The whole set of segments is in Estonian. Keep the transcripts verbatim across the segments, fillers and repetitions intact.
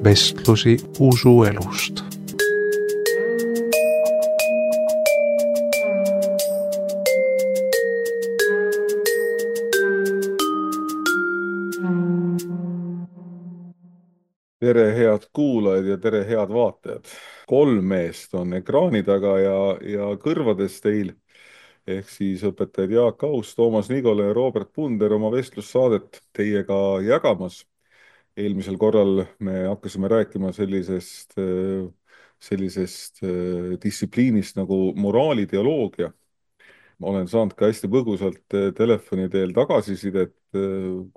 vestlusi usuelust. Tere, head kuulajad ja tere, head vaatajad. Kolm meest on ekraani taga ja, ja kõrvades teil ehk siis õpetajad Jaak Aus, Toomas Nigolo ja Robert Punder oma vestlussaadet teiega jagamas. Eelmisel korral me hakkasime rääkima sellisest, sellisest distsipliinist nagu moraaliteoloogia. Ma olen saanud ka hästi põgusalt telefoni teel tagasisidet,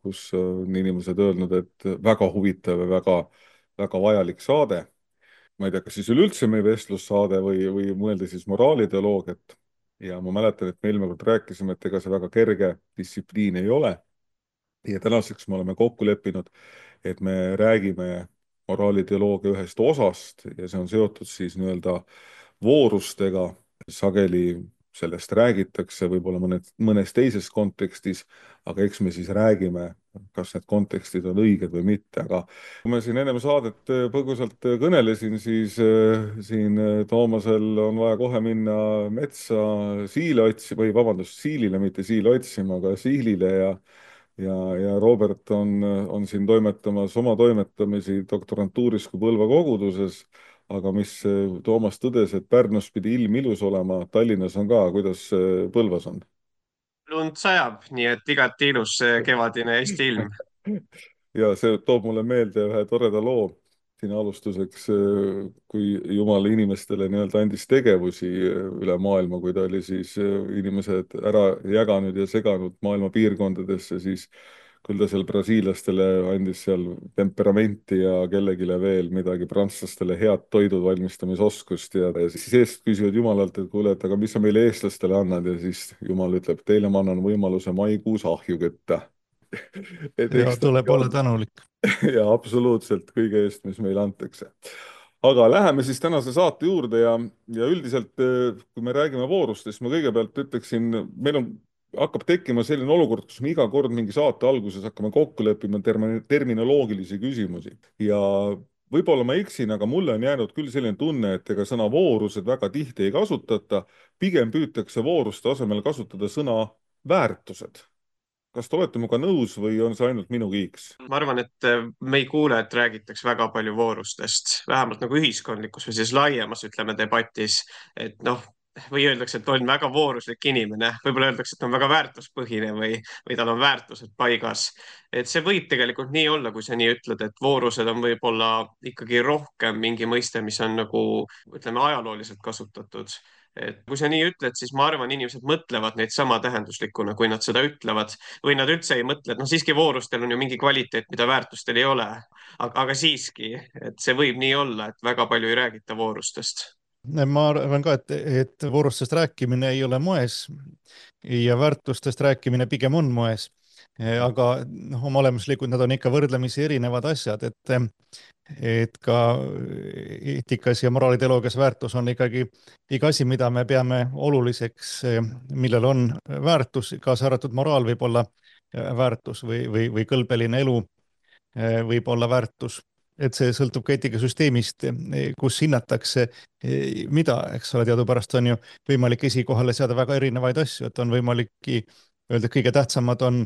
kus on inimesed öelnud, et väga huvitav ja väga, väga vajalik saade. Ma ei tea, kas siis üleüldse meie vestlussaade või, või mõelda siis moraaliteoloogiat. Ja ma mäletan, et me eelmine kord rääkisime, et ega see väga kerge distsipliin ei ole. Ja tänaseks me oleme kokku leppinud, et me räägime moraaliteoloogia ühest osast ja see on seotud siis nii-öelda voorustega. Sageli sellest räägitakse võib-olla mõnes, mõnes teises kontekstis, aga eks me siis räägime, kas need kontekstid on õiged või mitte. Aga kui ma siin ennem saadet põgusalt kõnelesin, siis siin Toomasel on vaja kohe minna metsa siile otsima, või vabandust, siilile, mitte siile otsima, aga siilile ja Ja, ja Robert on, on siin toimetamas oma toimetamisi doktorantuuris kui Põlva koguduses, aga mis Toomas tõdes, et Pärnus pidi ilm ilus olema, Tallinnas on ka, kuidas Põlvas on? Lund sajab, nii et igati ilus kevadine Eesti ilm. Ja see toob mulle meelde ühe toreda loo siin alustuseks, kui Jumal inimestele nii-öelda andis tegevusi üle maailma, kui ta oli siis inimesed ära jaganud ja seganud maailma piirkondadesse, siis küll ta seal brasiilastele andis seal temperamenti ja kellegile veel midagi, prantslastele head toidud valmistamisoskust ja, ja siis eest küsivad Jumalalt, et kuule, et aga mis sa meile eestlastele annad ja siis Jumal ütleb, teile ma annan võimaluse maikuus ahju kütta. Et ja eks tuleb olla tänulik. ja absoluutselt kõige eest, mis meile antakse. Aga läheme siis tänase saate juurde ja, ja üldiselt, kui me räägime voorustest, ma kõigepealt ütleksin, meil on, hakkab tekkima selline olukord, kus me iga kord mingi saate alguses hakkame kokku leppima termin, terminoloogilisi küsimusi. Ja võib-olla ma eksin, aga mulle on jäänud küll selline tunne, et ega sõna voorused väga tihti ei kasutata, pigem püütakse vooruste asemel kasutada sõna väärtused. Kas te olete minuga nõus või on see ainult minu kiiks? Ma arvan, et me ei kuule, et räägitakse väga palju voorustest, vähemalt nagu ühiskondlikus või siis laiemas, ütleme, debatis, et noh, või öeldakse, et on väga vooruslik inimene, võib-olla öeldakse, et on väga väärtuspõhine või, või tal on väärtused paigas. Et see võib tegelikult nii olla, kui sa nii ütled, et voorused on võib-olla ikkagi rohkem mingi mõiste, mis on nagu, ütleme, ajalooliselt kasutatud. Et kui sa nii ütled, siis ma arvan, inimesed mõtlevad neid sama tähenduslikuna, kui nad seda ütlevad, või nad üldse ei mõtle, et noh, siiski voorustel on ju mingi kvaliteet, mida väärtustel ei ole. Aga, aga siiski, et see võib nii olla, et väga palju ei räägita voorustest. Ma arvan ka, et, et voorustest rääkimine ei ole moes ja väärtustest rääkimine pigem on moes. Aga noh, oma olemuslikult nad on ikka võrdlemisi erinevad asjad, et et ka eetikas ja moraaliteoloogias väärtus on ikkagi iga asi, mida me peame oluliseks, millel on väärtus, kaasa arvatud moraal võib olla väärtus või, või, või kõlbeline elu võib olla väärtus. Et see sõltub ka eetikasüsteemist, kus hinnatakse, mida, eks ole, teadupärast on ju võimalik esikohale seada väga erinevaid asju, et on võimalik öelda, et kõige tähtsamad on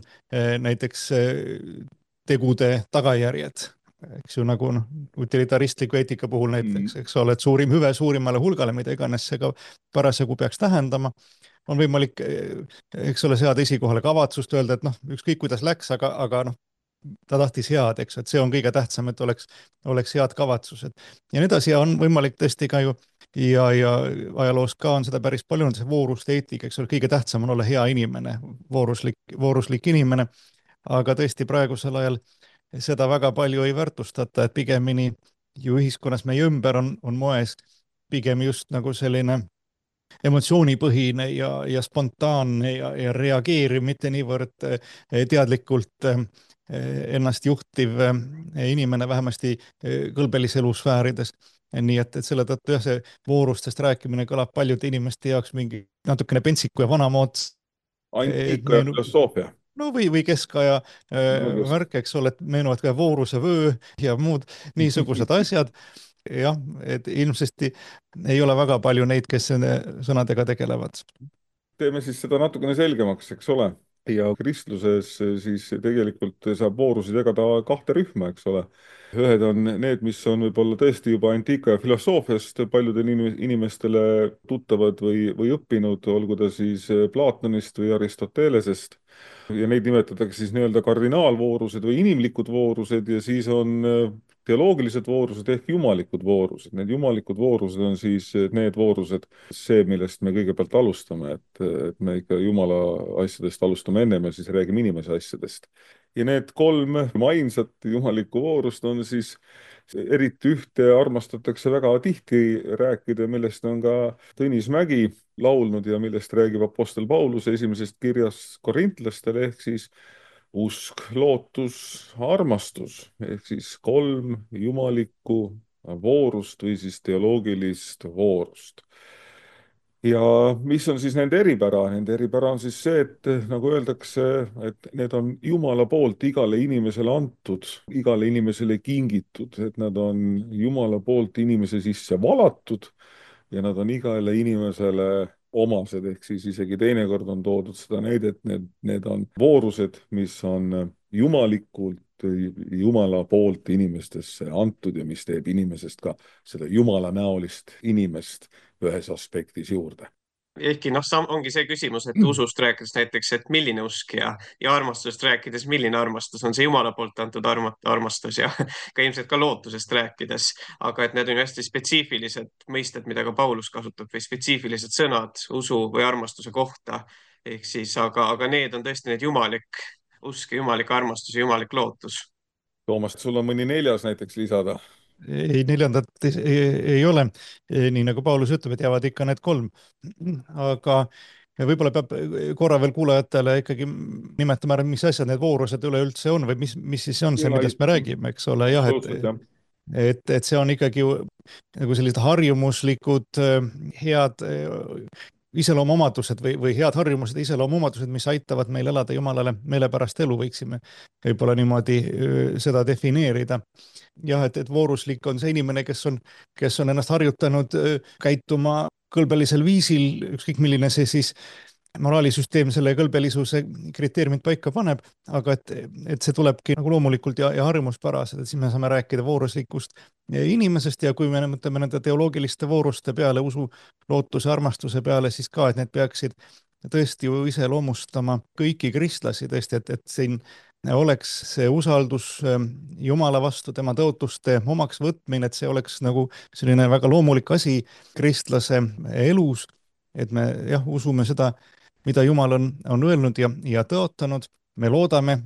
näiteks tegude tagajärjed. Eks ju nagu noh, utilitaristliku eetika puhul näiteks, eks ole, et suurim hüve suurimale hulgale, mida iganes see ka parasjagu peaks tähendama, on võimalik, eks ole, seada esikohale kavatsust, öelda, et noh, ükskõik kuidas läks, aga, aga noh, ta tahtis head, eks, et see on kõige tähtsam, et oleks, oleks head kavatsused. Ja nii edasi on võimalik tõesti ka ju ja, ja ajaloos ka on seda päris palju, on see vooruste eetika, eks ole, kõige tähtsam on olla hea inimene, vooruslik, vooruslik inimene, aga tõesti praegusel ajal seda väga palju ei väärtustata, et pigemini ju ühiskonnas meie ümber on, on moes pigem just nagu selline emotsioonipõhine ja, ja spontaanne ja, ja reageeriv, mitte niivõrd teadlikult ennast juhtiv inimene, vähemasti kõlbelise elusfäärides. Nii et, et selle tõttu jah, see voorustest rääkimine kõlab paljude inimeste jaoks mingi natukene pentsiku ja vanamood. Antiika ja filosoofia. no või, või keskaja No kes- värk, eks ole, et meenuvad ka vooruse vöö ja muud niisugused asjad. Jah, et ilmsesti ei ole väga palju neid, kes nende sõnadega tegelevad. Teeme siis seda natukene selgemaks, eks ole. Ja kristluses siis tegelikult saab voorusid jagada kahte rühma, eks ole. Ühed on need, mis on võib-olla tõesti juba antiika ja filosoofiast paljudele inim- inimestele tuttavad või, või õppinud, olgu ta siis Platonist või Aristotelesest. Ja neid nimetatakse siis nii-öelda kardinaalvoorused või inimlikud voorused ja siis on teoloogilised voorused ehk jumalikud voorused. Need jumalikud voorused on siis need voorused, see, millest me kõigepealt alustame, et, et me ikka jumala asjadest alustame ennem ja siis räägime inimese asjadest. Ja need kolm ainsat jumalikku voorust on siis, eriti ühte armastatakse väga tihti rääkida, millest on ka Tõnis Mägi laulnud ja millest räägib Apostel Paulus esimesest kirjast korintlastele ehk siis usk, lootus, armastus ehk siis kolm jumalikku voorust või siis teoloogilist voorust. Ja mis on siis nende eripära? Nende eripära on siis see, et nagu öeldakse, et need on Jumala poolt igale inimesele antud, igale inimesele kingitud, et nad on Jumala poolt inimese sisse valatud ja nad on igale inimesele omased, ehk siis isegi teinekord on toodud seda näidet, need, need on voorused, mis on jumalikult, Jumala poolt inimestesse antud ja mis teeb inimesest ka seda Jumala näolist inimest ühes aspektis juurde. Ehkki noh, ongi see küsimus, et usust rääkides näiteks, et milline usk ja, ja armastusest rääkides, milline armastus on see Jumala poolt antud arma, armastus ja ka ilmselt ka lootusest rääkides, aga et need on hästi spetsiifilised mõisted, mida ka Paulus kasutab või spetsiifilised sõnad usu või armastuse kohta. Ehk siis, aga, aga need on tõesti need jumalik usk, jumalik armastus ja jumalik lootus. Toomas, sul on mõni neljas näiteks lisada? Ei, neljandat ei, ei ole, nii nagu Paulus ütleb, et jäävad ikka need kolm. Aga võib-olla peab korra veel kuulajatele ikkagi nimetama ära, mis asjad need voorused üleüldse on või mis, mis siis on see, millest me räägime, eks ole, jah, et, et, et see on ikkagi nagu sellised harjumuslikud head iseloomuomadused või, või head harjumused ja iseloomuomadused, mis aitavad meil elada Jumalale meelepärast elu, võiksime võib-olla niimoodi seda defineerida. Jah, et, et vooruslik on see inimene, kes on, kes on ennast harjutanud käituma kõlbelisel viisil, ükskõik milline see siis moraalisüsteem selle kõlbelisuse kriteeriumid paika paneb, aga et, et see tulebki nagu loomulikult ja, ja harjumuspäraselt, et siis me saame rääkida vooruslikust inimesest ja kui me mõtleme nende teoloogiliste vooruste peale, usu, lootuse, armastuse peale, siis ka, et need peaksid tõesti ju iseloomustama kõiki kristlasi tõesti, et, et siin oleks see usaldus Jumala vastu, tema tõotuste omaks võtmine, et see oleks nagu selline väga loomulik asi kristlase elus, et me jah, usume seda, mida Jumal on, on öelnud ja, ja tõotanud. Me loodame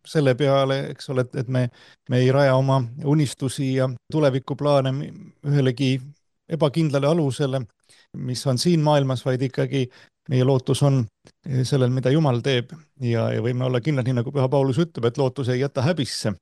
selle peale, eks ole, et, et me, me ei raja oma unistusi ja tulevikuplaane ühelegi ebakindlale alusele, mis on siin maailmas, vaid ikkagi meie lootus on sellel, mida Jumal teeb ja, ja võime olla kindlad, nii nagu Püha Paulus ütleb, et lootus ei jäta häbisse.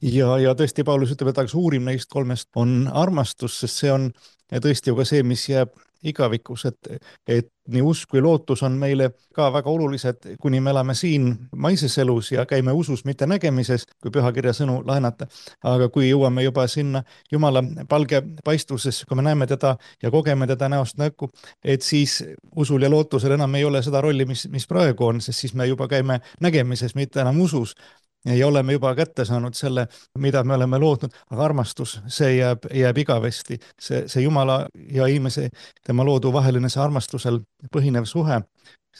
Ja, ja tõesti Paulus ütleb, et aga suurim neist kolmest on armastus, sest see on tõesti ju ka see, mis jääb igavikus, et, et nii usk kui lootus on meile ka väga olulised, kuni me elame siin maises elus ja käime usus, mitte nägemises, kui pühakirja sõnu laenata. Aga kui jõuame juba sinna Jumala palge paistuses, kui me näeme teda ja kogeme teda näost näkku, et siis usul ja lootusel enam ei ole seda rolli, mis, mis praegu on, sest siis me juba käime nägemises, mitte enam usus. Ja oleme juba kätte saanud selle, mida me oleme lootnud, aga armastus, see jääb, jääb igavesti. See, see Jumala ja inimese, tema loodu vaheline see armastusel põhinev suhe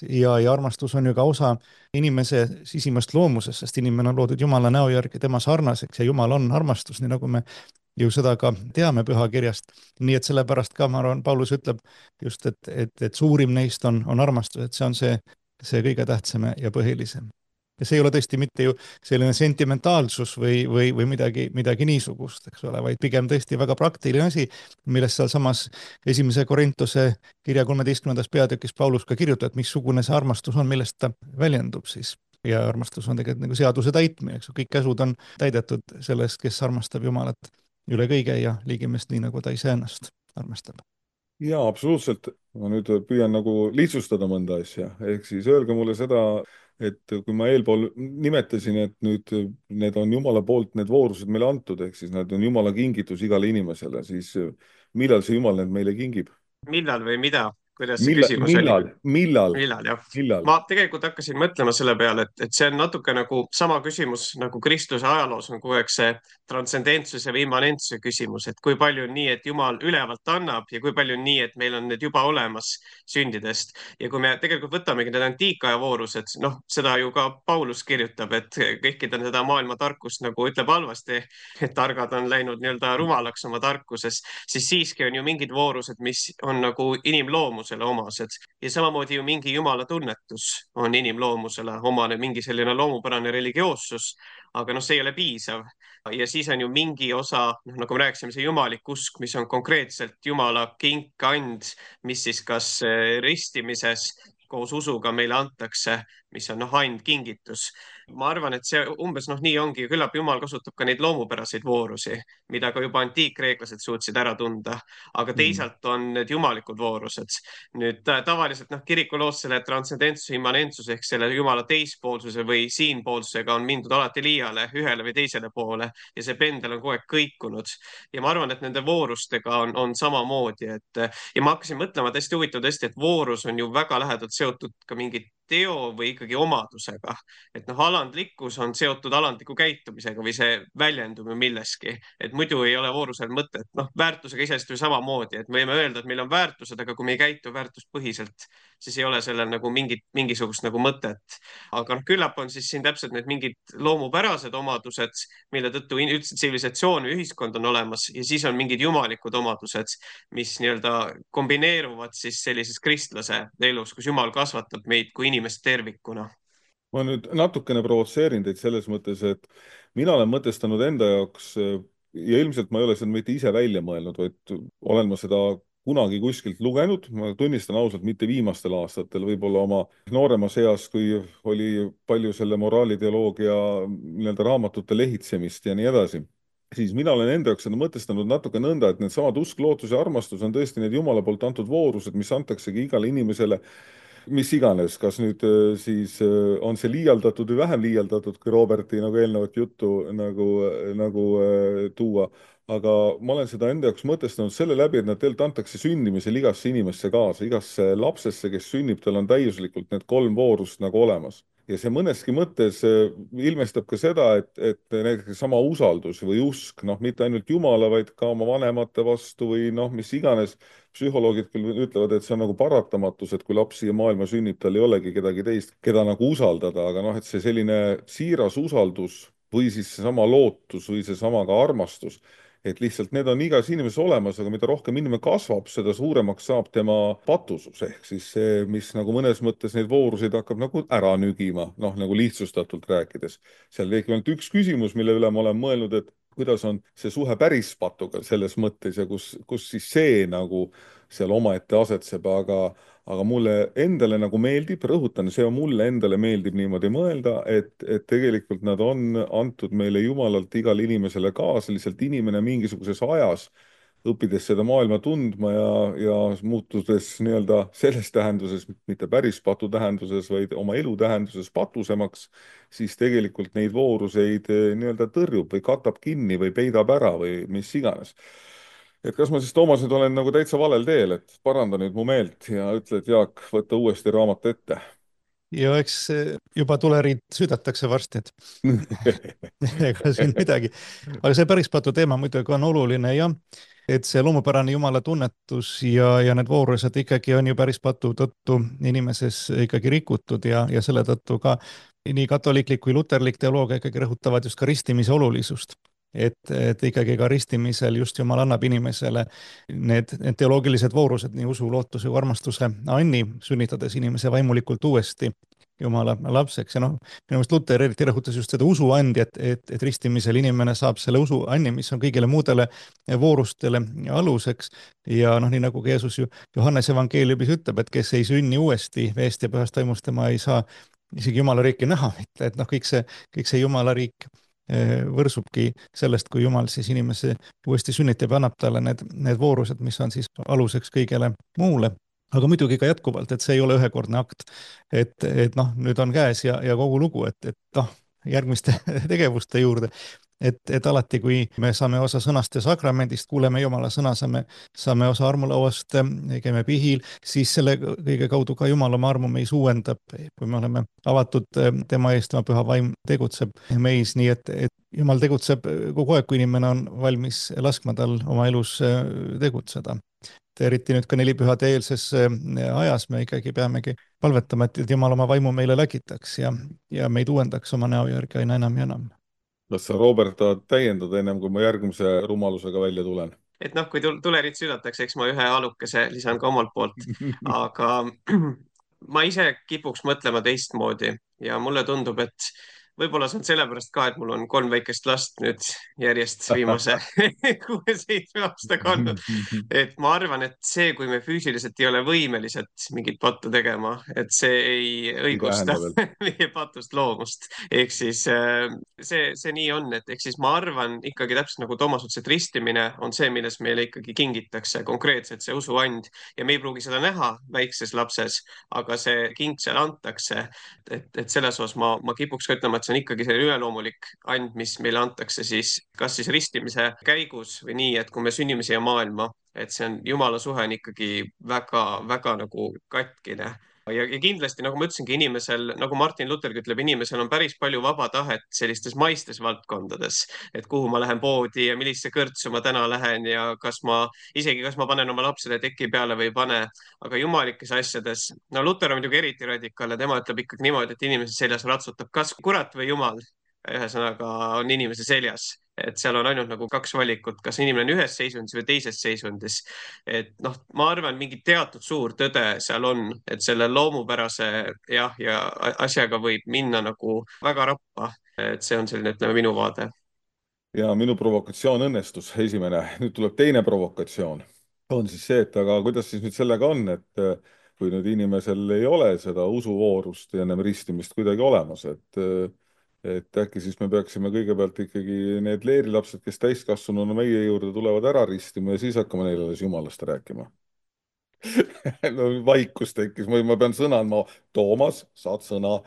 ja, ja armastus on ju ka osa inimese sisimast loomusest, sest inimene on loodud Jumala näo järgi tema sarnaseks ja Jumal on armastus, nii nagu me ju seda ka teame pühakirjast. Nii et sellepärast ka, ma arvan, Paulus ütleb just, et, et, et suurim neist on, on armastus, et see on see, see kõige tähtsam ja põhilisem. Ja see ei ole tõesti mitte ju selline sentimentaalsus või, või, või midagi, midagi niisugust, eks ole, vaid pigem tõesti väga praktiline asi, millest seal samas esimese Korintuse kirja kolmeteistkümnendas peatükis Paulus ka kirjutab, et missugune see armastus on, millest ta väljendub siis. Ja armastus on tegelikult nagu seaduse täitmine, eks kõik käsud on täidetud sellest, kes armastab Jumalat üle kõige ja liigimest nii, nagu ta ise ennast armastab. Jaa, absoluutselt. Ma nüüd püüan nagu lihtsustada mõnda asja. Ehk siis öelge mulle seda, et kui ma eelpool nimetasin, et nüüd need on Jumala poolt need voorused meile antud, ehk siis need on Jumala kingitus igale inimesele, siis millal see Jumal need meile kingib? Millal või mida? Kuidas see Millal, küsimus oli? millal, millal, Millal, jah. millal? Ma tegelikult hakkasin mõtlema selle peale, et, et see on natuke nagu sama küsimus nagu kristluse ajaloos on kogu aeg see transcendentsuse või immanentsuse küsimus, et kui palju on nii, et Jumal ülevalt annab ja kui palju on nii, et meil on need juba olemas sündidest. Ja kui me tegelikult võtamegi need antiikaja voorused, noh, seda ju ka Paulus kirjutab, et kõikide seda maailma tarkust nagu ütleb halvasti, et targad on läinud nii-öelda rumalaks oma tarkuses, siis siiski on ju mingid voorused, mis on nagu inimloomusele omased ja samamoodi ju mingi jumala tunnetus on inimloomusele omane, mingi selline loomupärane religioossus, aga noh, see ei ole piisav. Ja siis on ju mingi osa, noh, nagu me rääkisime, see jumalik usk, mis on konkreetselt jumala kink, and, mis siis kas eh, ristimises koos usuga meile antakse, mis on noh, and, kingitus. Ma arvan, et see umbes noh, nii ongi, küllap Jumal kasutab ka neid loomupäraseid voorusi, mida ka juba antiikreeklased suutsid ära tunda, aga teisalt on need jumalikud voorused. Nüüd ta- tavaliselt noh, kirikuloos selle transcendentsuse, immanentsuse ehk selle jumala teispoolsuse või siinpoolsusega on mindud alati liiale ühele või teisele poole ja see pendel on kogu aeg kõikunud. Ja ma arvan, et nende voorustega on, on samamoodi, et ja ma hakkasin mõtlema täiesti huvitav tõesti, et voorus on ju väga lähedalt seotud ka mingi teo või ikkagi omadusega. Et noh, alandlikkus on seotud alandliku käitumisega või see väljendub ju milleski, et muidu ei ole voorusel mõtet. Noh, väärtusega iseenesest ju samamoodi, et me võime öelda, et meil on väärtused, aga kui me ei käitu väärtuspõhiselt, siis ei ole sellel nagu mingit, mingisugust nagu mõtet. Aga noh, küllap on siis siin täpselt need mingid loomupärased omadused, mille tõttu in- üldse tsivilisatsioon või ühiskond on olemas ja siis on mingid jumalikud omadused, mis nii-öelda kombineeruvad siis sellises kristlase elus, kus Jumal kasvatab meid kui inimest tervikuna. Ma nüüd natukene provotseerin teid selles mõttes, et mina olen mõtestanud enda jaoks ja ilmselt ma ei ole seda mitte ise välja mõelnud, vaid olen ma seda kunagi kuskilt lugenud, ma tunnistan ausalt, mitte viimastel aastatel, võib-olla oma nooremas eas, kui oli palju selle moraalideoloogia nii-öelda raamatute lehitsemist ja nii edasi, siis mina olen enda jaoks seda mõtestanud natuke nõnda, et need samad usk, lootus ja armastus on tõesti need Jumala poolt antud voorused, mis antaksegi igale inimesele mis iganes, kas nüüd siis on see liialdatud või vähem liialdatud, kui Roberti nagu eelnevat juttu nagu, nagu tuua. Aga ma olen seda enda jaoks mõtestanud selle läbi, et nad tegelikult antakse sündimisel igasse inimesse kaasa, igasse lapsesse, kes sünnib, tal on täiuslikult need kolm voorust nagu olemas. Ja see mõneski mõttes ilmestab ka seda, et, et näiteks sama usaldus või usk, noh, mitte ainult Jumala, vaid ka oma vanemate vastu või noh, mis iganes. Psühholoogid küll ütlevad, et see on nagu paratamatus, et kui laps siia maailma sünnib, tal ei olegi kedagi teist, keda nagu usaldada, aga noh, et see selline siiras usaldus või siis seesama lootus või seesama ka armastus, et lihtsalt need on igas inimeses olemas, aga mida rohkem inimene kasvab, seda suuremaks saab tema patusus, ehk siis see, mis nagu mõnes mõttes neid vooruseid hakkab nagu ära nügima, noh, nagu lihtsustatult rääkides. Seal tekib ainult üks küsimus, mille üle ma olen mõelnud, et kuidas on see suhe päris patuga selles mõttes ja kus, kus siis see nagu seal omaette asetseb, aga, aga mulle endale nagu meeldib, rõhutan, see on mulle endale meeldib niimoodi mõelda, et, et tegelikult nad on antud meile Jumalalt igale inimesele kaasa, lihtsalt inimene mingisuguses ajas, õppides seda maailma tundma ja, ja muutudes nii-öelda selles tähenduses, mitte päris patu tähenduses, vaid oma elu tähenduses patusemaks, siis tegelikult neid vooruseid nii-öelda tõrjub või katab kinni või peidab ära või mis iganes. Et kas ma siis, Toomas, nüüd olen nagu täitsa valel teel, et paranda nüüd mu meelt ja ütle, et Jaak, võta uuesti raamat ette. Ja eks juba tuleriid südatakse varsti, et ega siin midagi. Aga see päris patu teema muidugi on oluline ja et see loomupärane Jumala tunnetus ja, ja need voorused ikkagi on ju päris patu tõttu inimeses ikkagi rikutud ja, ja selle tõttu ka nii katoliiklik kui luterlik teoloogia ikkagi rõhutavad just ka ristimise olulisust. Et, et ikkagi ka ristimisel just Jumal annab inimesele need, need teoloogilised voorused, nii usu, lootuse kui armastuse anni, sünnitades inimese vaimulikult uuesti Jumala lapseks. Ja noh, minu meelest Luter eriti rõhutas just seda usu andi, et, et, et ristimisel inimene saab selle usu anni, mis on kõigile muudele voorustele aluseks. Ja noh, nii nagu Jeesus ju Johannes evangeeliumis ütleb, et kes ei sünni uuesti veest ja pühast vaimust, tema ei saa isegi Jumala riiki näha, et noh, kõik see, kõik see Jumala riik võrsubki sellest, kui Jumal siis inimese uuesti sünnitab ja annab talle need, need voorused, mis on siis aluseks kõigele muule. Aga muidugi ka jätkuvalt, et see ei ole ühekordne akt, et, et noh, nüüd on käes ja, ja kogu lugu, et, et noh, järgmiste tegevuste juurde, et, et alati, kui me saame osa sõnast ja sakramendist, kuuleme Jumala sõna, saame, saame osa armulauast, käime pihil, siis selle kõige kaudu ka Jumal oma armu meis uuendab, kui me oleme avatud tema eest, tema püha vaim tegutseb meis, nii et, et Jumal tegutseb kogu aeg, kui inimene on valmis laskma tal oma elus tegutseda. Eriti nüüd ka nelipühade eelses ajas me ikkagi peamegi palvetama, et Jumal oma vaimu meile läkitaks ja, ja meid uuendaks oma näo järgi aina enam ja enam. Kas sa, Robert, tahad täiendada ennem, kui ma järgmise rumalusega välja tulen? Et noh, kui tulerid südatakse, eks ma ühe alukese lisan ka omalt poolt, aga ma ise kipuks mõtlema teistmoodi ja mulle tundub, et võib-olla see on sellepärast ka, et mul on kolm väikest last nüüd järjest viimase kuue-seitsme aastaga olnud. Et ma arvan, et see, kui me füüsiliselt ei ole võimelised mingit pattu tegema, et see ei õigusta meie patust loomust. Ehk siis see, see nii on, et ehk siis ma arvan ikkagi täpselt nagu Toomas ütles, et ristimine on see, milles meile ikkagi kingitakse konkreetselt see usuand ja me ei pruugi seda näha väikses lapses, aga see king seal antakse. Et, et selles osas ma, ma kipuks ka ütlema, et see on ikkagi see üleloomulik and, mis meile antakse siis kas siis ristimise käigus või nii, et kui me sünnime siia maailma, et see on Jumala suhe on ikkagi väga, väga nagu katkine. Ja, ja kindlasti, nagu ma ütlesingi, inimesel, nagu Martin Luthergi ütleb, inimesel on päris palju vaba tahet sellistes maistes valdkondades, et kuhu ma lähen poodi ja millise kõrtsu ma täna lähen ja kas ma, isegi kas ma panen oma lapsele teki peale või ei pane, aga jumalikes asjades, no Luther on muidugi eriti radikaal ja tema ütleb ikkagi niimoodi, et inimese seljas ratsutab kas kurat või Jumal, ühesõnaga on inimese seljas. Et seal on ainult nagu kaks valikut, kas inimene on ühes seisundis või teises seisundis. Et noh, ma arvan, mingi teatud suur tõde seal on, et selle loomupärase jah, ja asjaga võib minna nagu väga rappa. Et see on selline, ütleme, minu vaade. Ja minu provokatsioon õnnestus, esimene. Nüüd tuleb teine provokatsioon. On siis see, et aga kuidas siis nüüd sellega on, et kui nüüd inimesel ei ole seda usuvoorust ja ennem ristimist kuidagi olemas, et et äkki siis me peaksime kõigepealt ikkagi need leerilapsed, kes täiskasvanuna meie juurde tulevad ära ristima ja siis hakkame neile alles Jumalast rääkima. No, vaikus tekkis, ma pean sõna andma. Toomas, saad sõna.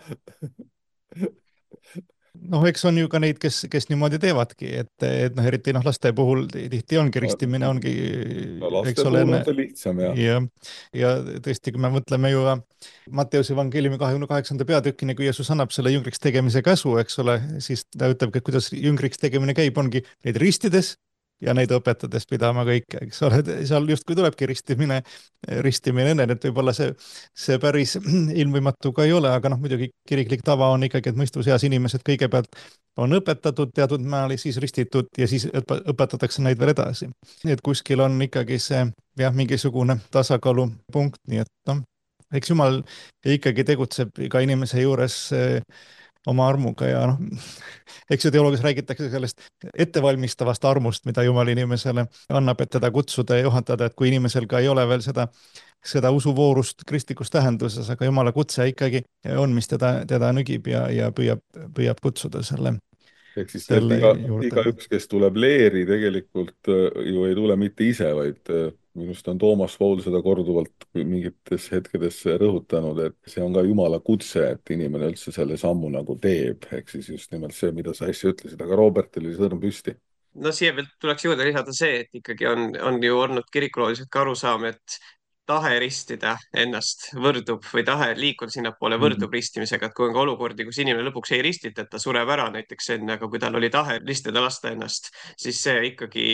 Noh, eks on ju ka neid, kes, kes niimoodi teevadki, et, et noh, eriti noh, laste puhul tihti ongi ristimine, ongi no, laste puhul on see lihtsam, jah. Ja, ja tõesti, kui me mõtleme ju Matteuse evangeeliumi kahekümne kaheksanda peatükini, kui Jeesus annab selle jüngriks tegemise käsu, eks ole, siis ta ütleb, et kuidas jüngriks tegemine käib, ongi neid ristides ja neid õpetades pidama kõike, eks ole, seal justkui tulebki ristimine, ristimine enne, et võib-olla see, see päris ilmvõimatu ka ei ole, aga noh, muidugi kiriklik tava on ikkagi, et mõistuseas inimesed kõigepealt on õpetatud teatud määral, siis ristitud ja siis õpetatakse neid veel edasi. Nii et kuskil on ikkagi see jah, mingisugune tasakaalupunkt, nii et noh, eks Jumal ikkagi tegutseb iga inimese juures oma armuga ja noh, eks ju teoloogias räägitakse sellest ettevalmistavast armust, mida Jumal inimesele annab, et teda kutsuda ja juhatada, et kui inimesel ka ei ole veel seda, seda usuvoorust kristlikus tähenduses, aga Jumala kutse ikkagi on, mis teda, teda nügib ja, ja püüab, püüab kutsuda selle. Ehk siis iga, iga üks, kes tuleb leeri, tegelikult ju ei tule mitte ise, vaid minust on Toomas Paul seda korduvalt mingites hetkedes rõhutanud, et see on ka Jumala kutse, et inimene üldse selle sammu nagu teeb. Ehk siis just nimelt see, mida sa äsja ütlesid, aga Robertil oli sõrm püsti. No siia veel tuleks juurde lisada see, et ikkagi on, on ju olnud kirikulooliselt ka arusaam, et tahe ristida ennast võrdub või tahe liikuda sinnapoole võrdub mm-hmm. ristimisega, et kui on ka olukordi, kus inimene lõpuks ei ristita, et ta sureb ära näiteks enne, aga kui tal oli tahe ristida lasta ennast, siis see ikkagi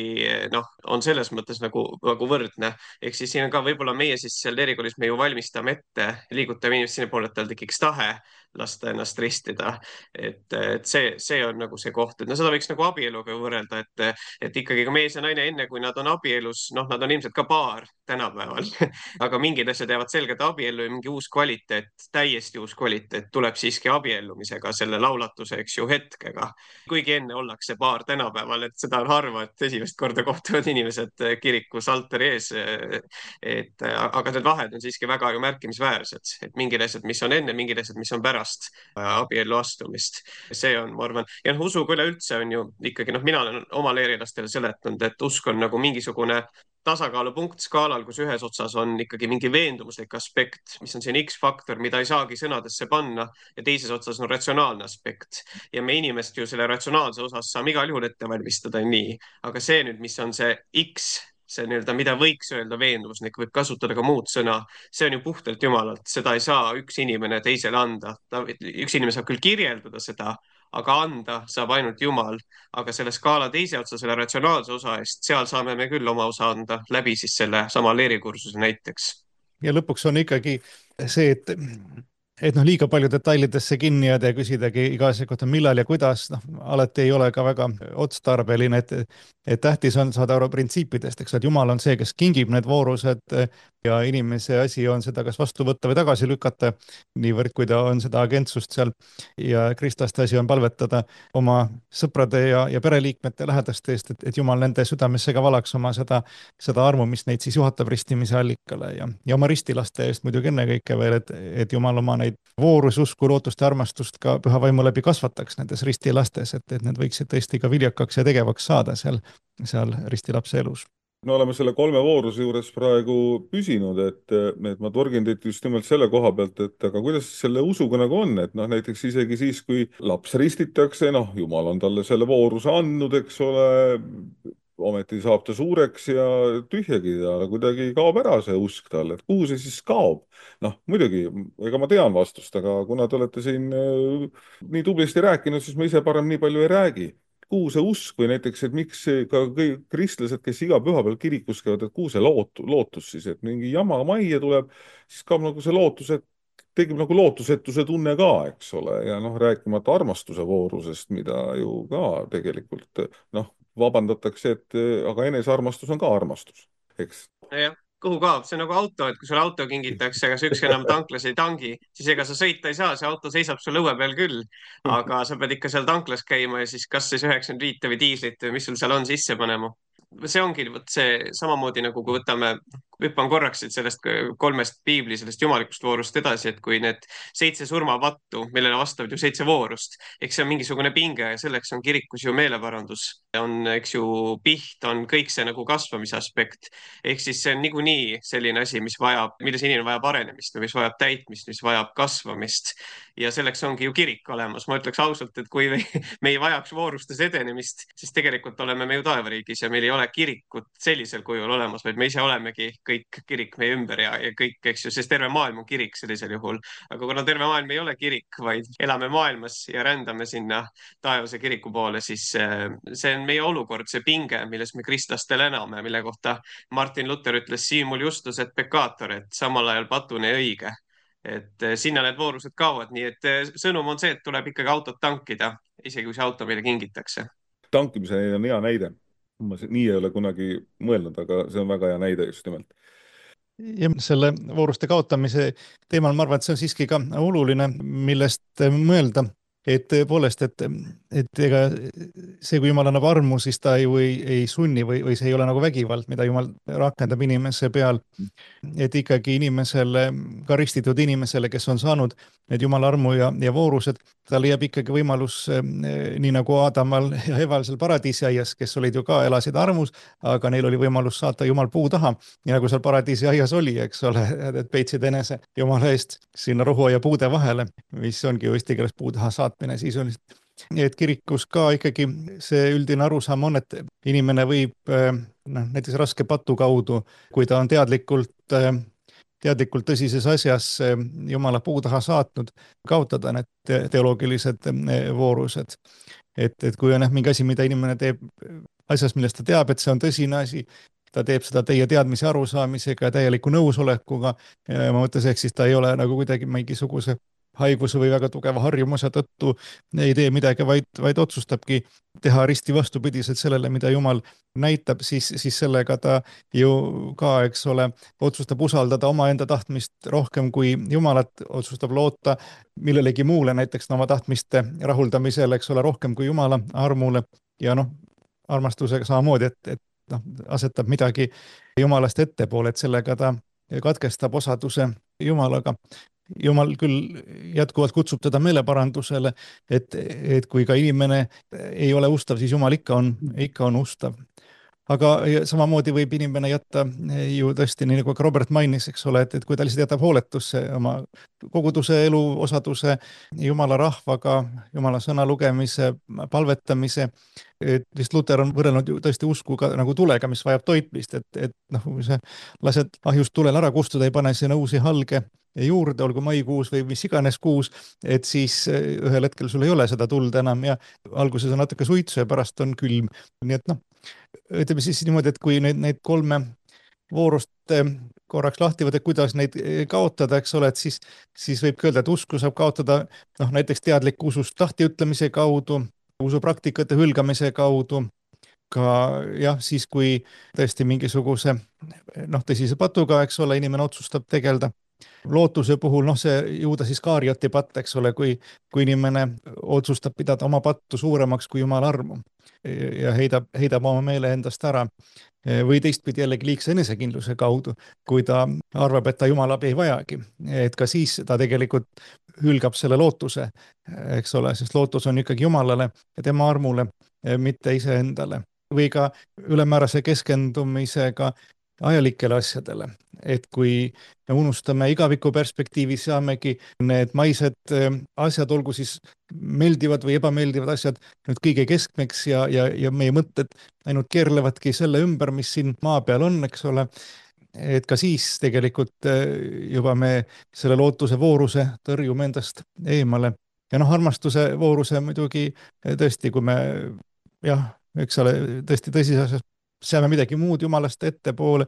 noh, on selles mõttes nagu, nagu võrdne. Ehk siis siin on ka võib-olla meie siis seal erikoolis me ju valmistame ette, liigutame inimest sinna poole, et tal tekiks tahe lasta ennast ristida. Et, et see, see on nagu see koht, et no seda võiks nagu abieluga võrrelda, et, et ikkagi ka mees ja naine enne, kui nad on abielus, noh, nad on ilmselt ka paar tänapäeval, aga mingid asjad jäävad selgelt abiellu ja mingi uus kvaliteet, täiesti uus kvaliteet tuleb siiski abiellumisega, selle laulatuse, eks ju, hetkega. Kuigi enne ollakse paar tänapäeval, et seda on harva, et esimest korda kohtuvad inimesed kirikus altari ees. Et, aga need vahed on siiski väga ju märkimisväärsed, et mingid asjad, mis on enne, mingid asjad, mis on pärast. pärast abiellu astumist. See on, ma arvan, ja noh, usuga üleüldse on ju ikkagi, noh, mina olen oma leerilastele seletanud, et usk on nagu mingisugune tasakaalupunkt skaalal, kus ühes otsas on ikkagi mingi veendumuslik aspekt, mis on siin X-faktor, mida ei saagi sõnadesse panna, ja teises otsas on ratsionaalne aspekt. Ja me inimest ju selle ratsionaalse osas saame igal juhul ette valmistada nii, aga see nüüd, mis on see X, see nii-öelda, mida võiks öelda veendumuslik, võib kasutada ka muud sõna, see on ju puhtalt jumalalt, seda ei saa üks inimene teisele anda. Üks inimene saab küll kirjeldada seda, aga anda saab ainult Jumal, aga selle skaala teise otsa, selle ratsionaalse osa eest, seal saame me küll oma osa anda läbi siis selle sama leerikursuse näiteks. Ja lõpuks on ikkagi see, et et noh, liiga palju detailidesse kinni jääda ja küsidagi iga asja kohta, millal ja kuidas, noh, alati ei ole ka väga otstarbeline, et, et tähtis on saada aru printsiipidest, eks, et Jumal on see, kes kingib need voorused ja inimese asi on seda kas vastu võtta või tagasi lükata, niivõrd kui ta on seda agentsust seal, ja kristlaste asi on palvetada oma sõprade ja, ja pereliikmete lähedaste eest, et, et Jumal nende südamesse ka valaks oma seda, seda armu, mis neid siis juhatab ristimise allikale ja, ja oma ristilaste eest muidugi ennekõike veel, et, et Jumal oma neid voorususku, lootust ja armastust ka püha vaimu läbi kasvataks nendes ristilastes, et, et need võiksid tõesti ka viljakaks ja tegevaks saada seal, seal ristilapse elus. Me oleme selle kolme vooruse juures praegu püsinud, et, et ma torgin teid just nimelt selle koha pealt, et aga kuidas selle usuga nagu on, et noh, näiteks isegi siis, kui laps ristitakse, noh, Jumal on talle selle vooruse andnud, eks ole, ometi saab ta suureks ja tühjagi ta kuidagi kaob ära see usk talle, et kuhu see siis kaob? Noh, muidugi, ega ma tean vastust, aga kuna te olete siin nii tublisti rääkinud, siis ma ise parem nii palju ei räägi. Kuhu see usk või näiteks, et miks ka kõik kristlased, kes iga pühapäeval kirikus käivad, et kuhu see lootus, lootus siis, et mingi jama majja tuleb, siis kaob nagu see lootus, et tegib nagu lootusetuse tunne ka, eks ole, ja noh, rääkimata armastuse voorusest, mida ju ka tegelikult, noh, vabandatakse, et aga enesearmastus on ka armastus, eks? Jah, kuhu kaob? See on nagu auto, et kui sul auto kingitakse, aga see ükski enam tanklas ei tangi, siis ega sa sõita ei saa, see auto seisab sul õue peal küll, aga sa pead ikka seal tanklas käima ja siis kas siis üheksakümmend viis või diislit või mis sul seal on sisse panema. See ongi võt see samamoodi nagu kui võtame, hüppan korraks sellest kolmest piibli, sellest jumalikust voorust edasi, et kui need seitse surmavattu, millele vastavad ju seitse voorust, eks see on mingisugune pinge ja selleks on kirikus ju meeleparandus, on, eks ju, piht, on kõik see nagu kasvamise aspekt. Ehk siis see on niikuinii selline asi, mis vajab, milles inimene vajab arenemist, mis vajab täitmist, mis vajab kasvamist. Ja selleks ongi ju kirik olemas. Ma ütleks ausalt, et kui me ei vajaks voorustes edenemist, siis tegelikult oleme me ju taevariigis ja meil ei ole kirikut sellisel kujul olemas, vaid me ise olemegi kõik kirik meie ümber ja, ja kõik, eks ju, sest terve maailm on kirik sellisel juhul. Aga kuna terve maailm ei ole kirik, vaid elame maailmas ja rändame sinna taevase kiriku poole, siis see on meie olukord, see pinge, milles me kristlastel ename, mille kohta Martin Luther ütles simul justus et peccator, et samal ajal patune ja õige. Et sinna need voorused kaovad, nii et sõnum on see, et tuleb ikkagi autot tankida, isegi kui see auto meile kingitakse. Tankimise on hea näide. Ma nii ei ole kunagi mõelnud, aga see on väga hea näide just nimelt. Ja selle vooruste kaotamise teemal ma arvan, et see on siiski ka oluline, millest mõelda. Et tõepoolest, et, et ega see, kui Jumal annab armu, siis ta ju ei, ei sunni või, või see ei ole nagu vägivald, mida Jumal rakendab inimese peal. Et ikkagi inimesele, ka ristitud inimesele, kes on saanud need Jumala armu ja, ja voorused, tal jääb ikkagi võimalus, nii nagu Aadamal ja Eval seal paradiisiaias, kes olid ju ka, elasid armus, aga neil oli võimalus saata Jumal puu taha, nii nagu seal paradiisiaias oli, eks ole, et peitsid enese Jumala eest sinna rohu ja puude vahele, mis ongi ju eesti keeles puu taha saatmine sisuliselt. Et kirikus ka ikkagi see üldine arusaam on, et inimene võib noh, näiteks raske patu kaudu, kui ta on teadlikult teadlikult tõsises asjas Jumala puu taha saatnud, kaotada need teoloogilised voorused. Et, et kui on mingi asi, mida inimene teeb asjas, millest ta teab, et see on tõsine asi, ta teeb seda teie teadmise arusaamisega ja täieliku nõusolekuga, ma mõttes, ehk siis ta ei ole nagu kuidagi mingisuguse haiguse või väga tugeva harjumuse tõttu ei tee midagi, vaid, vaid otsustabki teha risti vastupidiselt sellele, mida Jumal näitab, siis, siis sellega ta ju ka, eks ole, otsustab usaldada oma enda tahtmist rohkem kui Jumalat, otsustab loota millelegi muule, näiteks oma tahtmiste rahuldamisele, eks ole, rohkem kui Jumala armule ja noh, armastusega samamoodi, et, et noh, asetab midagi Jumalast ettepoole, et sellega ta katkestab osaduse Jumalaga. Jumal küll jätkuvalt kutsub teda meeleparandusele, et, et kui ka inimene ei ole ustav, siis Jumal ikka on, ikka on ustav. Aga samamoodi võib inimene jätta ju tõesti, nii nagu ka Robert mainis, eks ole, et, et kui ta lihtsalt jätab hooletusse oma koguduse elu, osaduse, Jumala rahvaga, Jumala sõna lugemise, palvetamise, et vist Luter on võrrelnud ju tõesti uskuga nagu tulega, mis vajab toitmist, et, et noh, kui sa lased ahjust tulel ära kustuda, ei pane sinna uusi halge juurde, olgu maikuus või mis iganes kuus, et siis ühel hetkel sul ei ole seda tuld enam ja alguses on natuke suitsu ja pärast on külm. Nii et noh, ütleme siis niimoodi, et kui neid, neid kolme voorust korraks lahti võtta, kuidas neid kaotada, eks ole, et siis, siis võib öelda, et usku saab kaotada noh, näiteks teadliku usust lahtiütlemise kaudu, usupraktikate hülgamise kaudu, ka jah, siis kui tõesti mingisuguse noh, tõsise patuga, eks ole, inimene otsustab tegelda. Lootuse puhul, noh see Juudas Iskarioti patt, eks ole, kui, kui inimene otsustab pidada oma pattu suuremaks kui Jumala armu ja heidab, heidab oma meele endast ära. Või teistpidi jällegi liigse enesekindluse kaudu, kui ta arvab, et ta Jumala abi ei vajagi. Et ka siis ta tegelikult hülgab selle lootuse, eks ole, sest lootus on ikkagi Jumalale ja tema armule, mitte iseendale. Või ka ülemäärase keskendumisega ajalikele asjadele, et kui me unustame igaviku perspektiivis, saamegi need maised asjad, olgu siis meeldivad või ebameeldivad asjad, nüüd kõige keskmeks ja, ja, ja meie mõtted ainult keerlevadki selle ümber, mis siin maa peal on, eks ole, et ka siis tegelikult juba me selle lootuse vooruse tõrjume endast eemale. Ja noh, armastuse vooruse muidugi tõesti, kui me jah, eks ole, tõesti tõsises asjas seame midagi muud Jumalast ettepoole,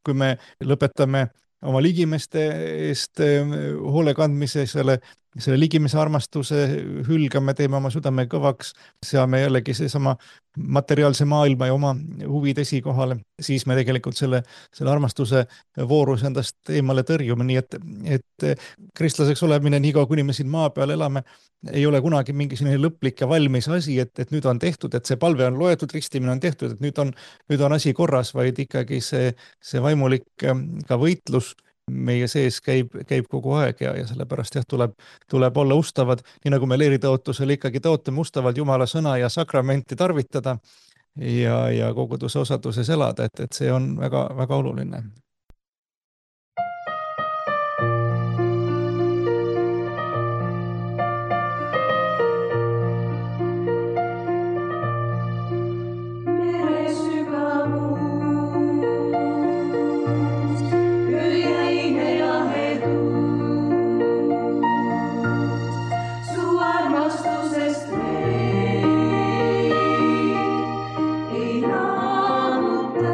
kui me lõpetame oma ligimeste eest hoole kandmise, selle, selle ligimese armastuse hülgame, teeme oma südame kõvaks, seame jällegi seesama materiaalse maailma ja oma huvid esikohale, siis me tegelikult selle, selle armastuse voorus endast eemale tõrjume, nii et, et kristlaseks olemine, nii kaua kuni me siin maa peal elame, ei ole kunagi mingi selline lõplik ja valmis asi, et, et nüüd on tehtud, et see palve on loetud, ristimine on tehtud, et nüüd on, nüüd on asi korras, vaid ikkagi see, see vaimulik ka võitlus meie sees käib, käib kogu aeg ja, ja sellepärast jah, tuleb, tuleb olla ustavad, nii nagu me leeritõotusel ikkagi tõotame ustavalt Jumala sõna ja sakramenti tarvitada ja, ja koguduse osaduses elada, et, et see on väga, väga oluline. Ei naamuta.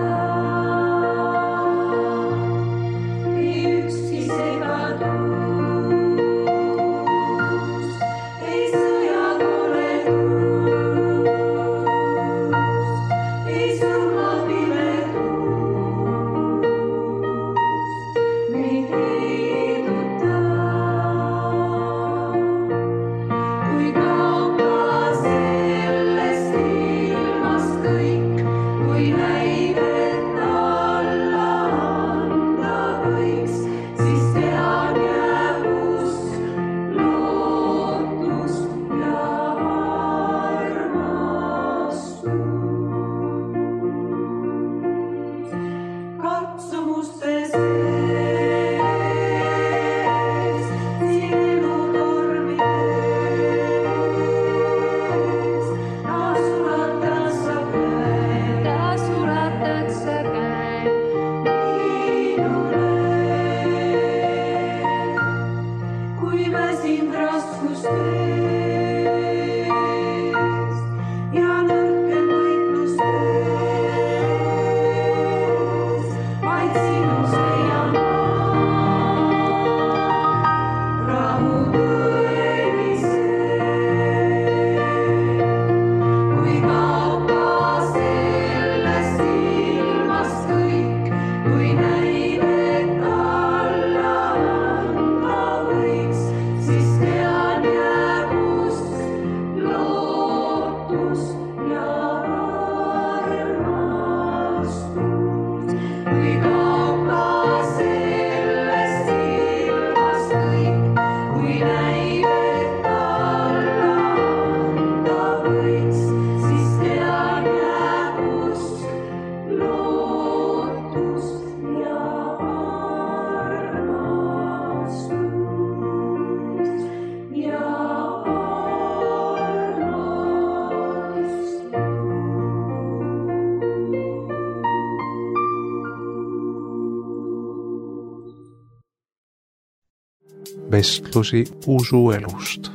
Vestlusi usuelust.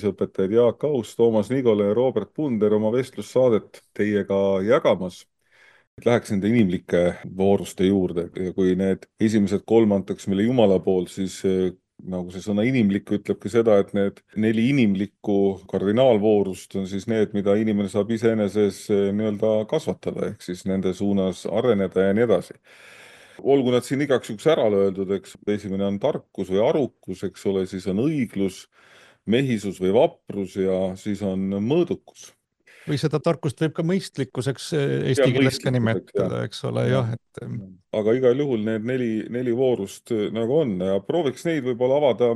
Õpetajad Jaak Aus, Toomas Nigole ja Robert Punder oma vestlussaadet teiega jagamas. Läheks nende inimlike vooruste juurde ja kui need esimesed kolm antakse meile Jumala poolt, siis nagu see sõna inimlik ütlebki seda, et need neli inimlikku kardinaalvoorust on siis need, mida inimene saab iseeneses nii-öelda kasvatada, ehk siis nende suunas areneda ja nii edasi. Olgu nad siin igaks juks ära öeldud, eks esimene on tarkus või arukus, eks ole, siis on õiglus, mehisus või vaprus ja siis on mõõdukus. Või seda tarkust võib ka mõistlikkuseks eesti keeles ka nimetada, eks ole, jah. Et... Aga igal juhul need neli, neli voorust nagu on ja prooviks neid võib-olla avada.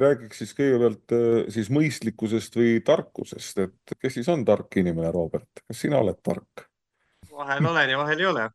Räägiks siis kõigepealt siis mõistlikkusest või tarkusest, et kes siis on tark inimene, Robert? Kas sina oled tark? Vahel olen ja vahel ei ole.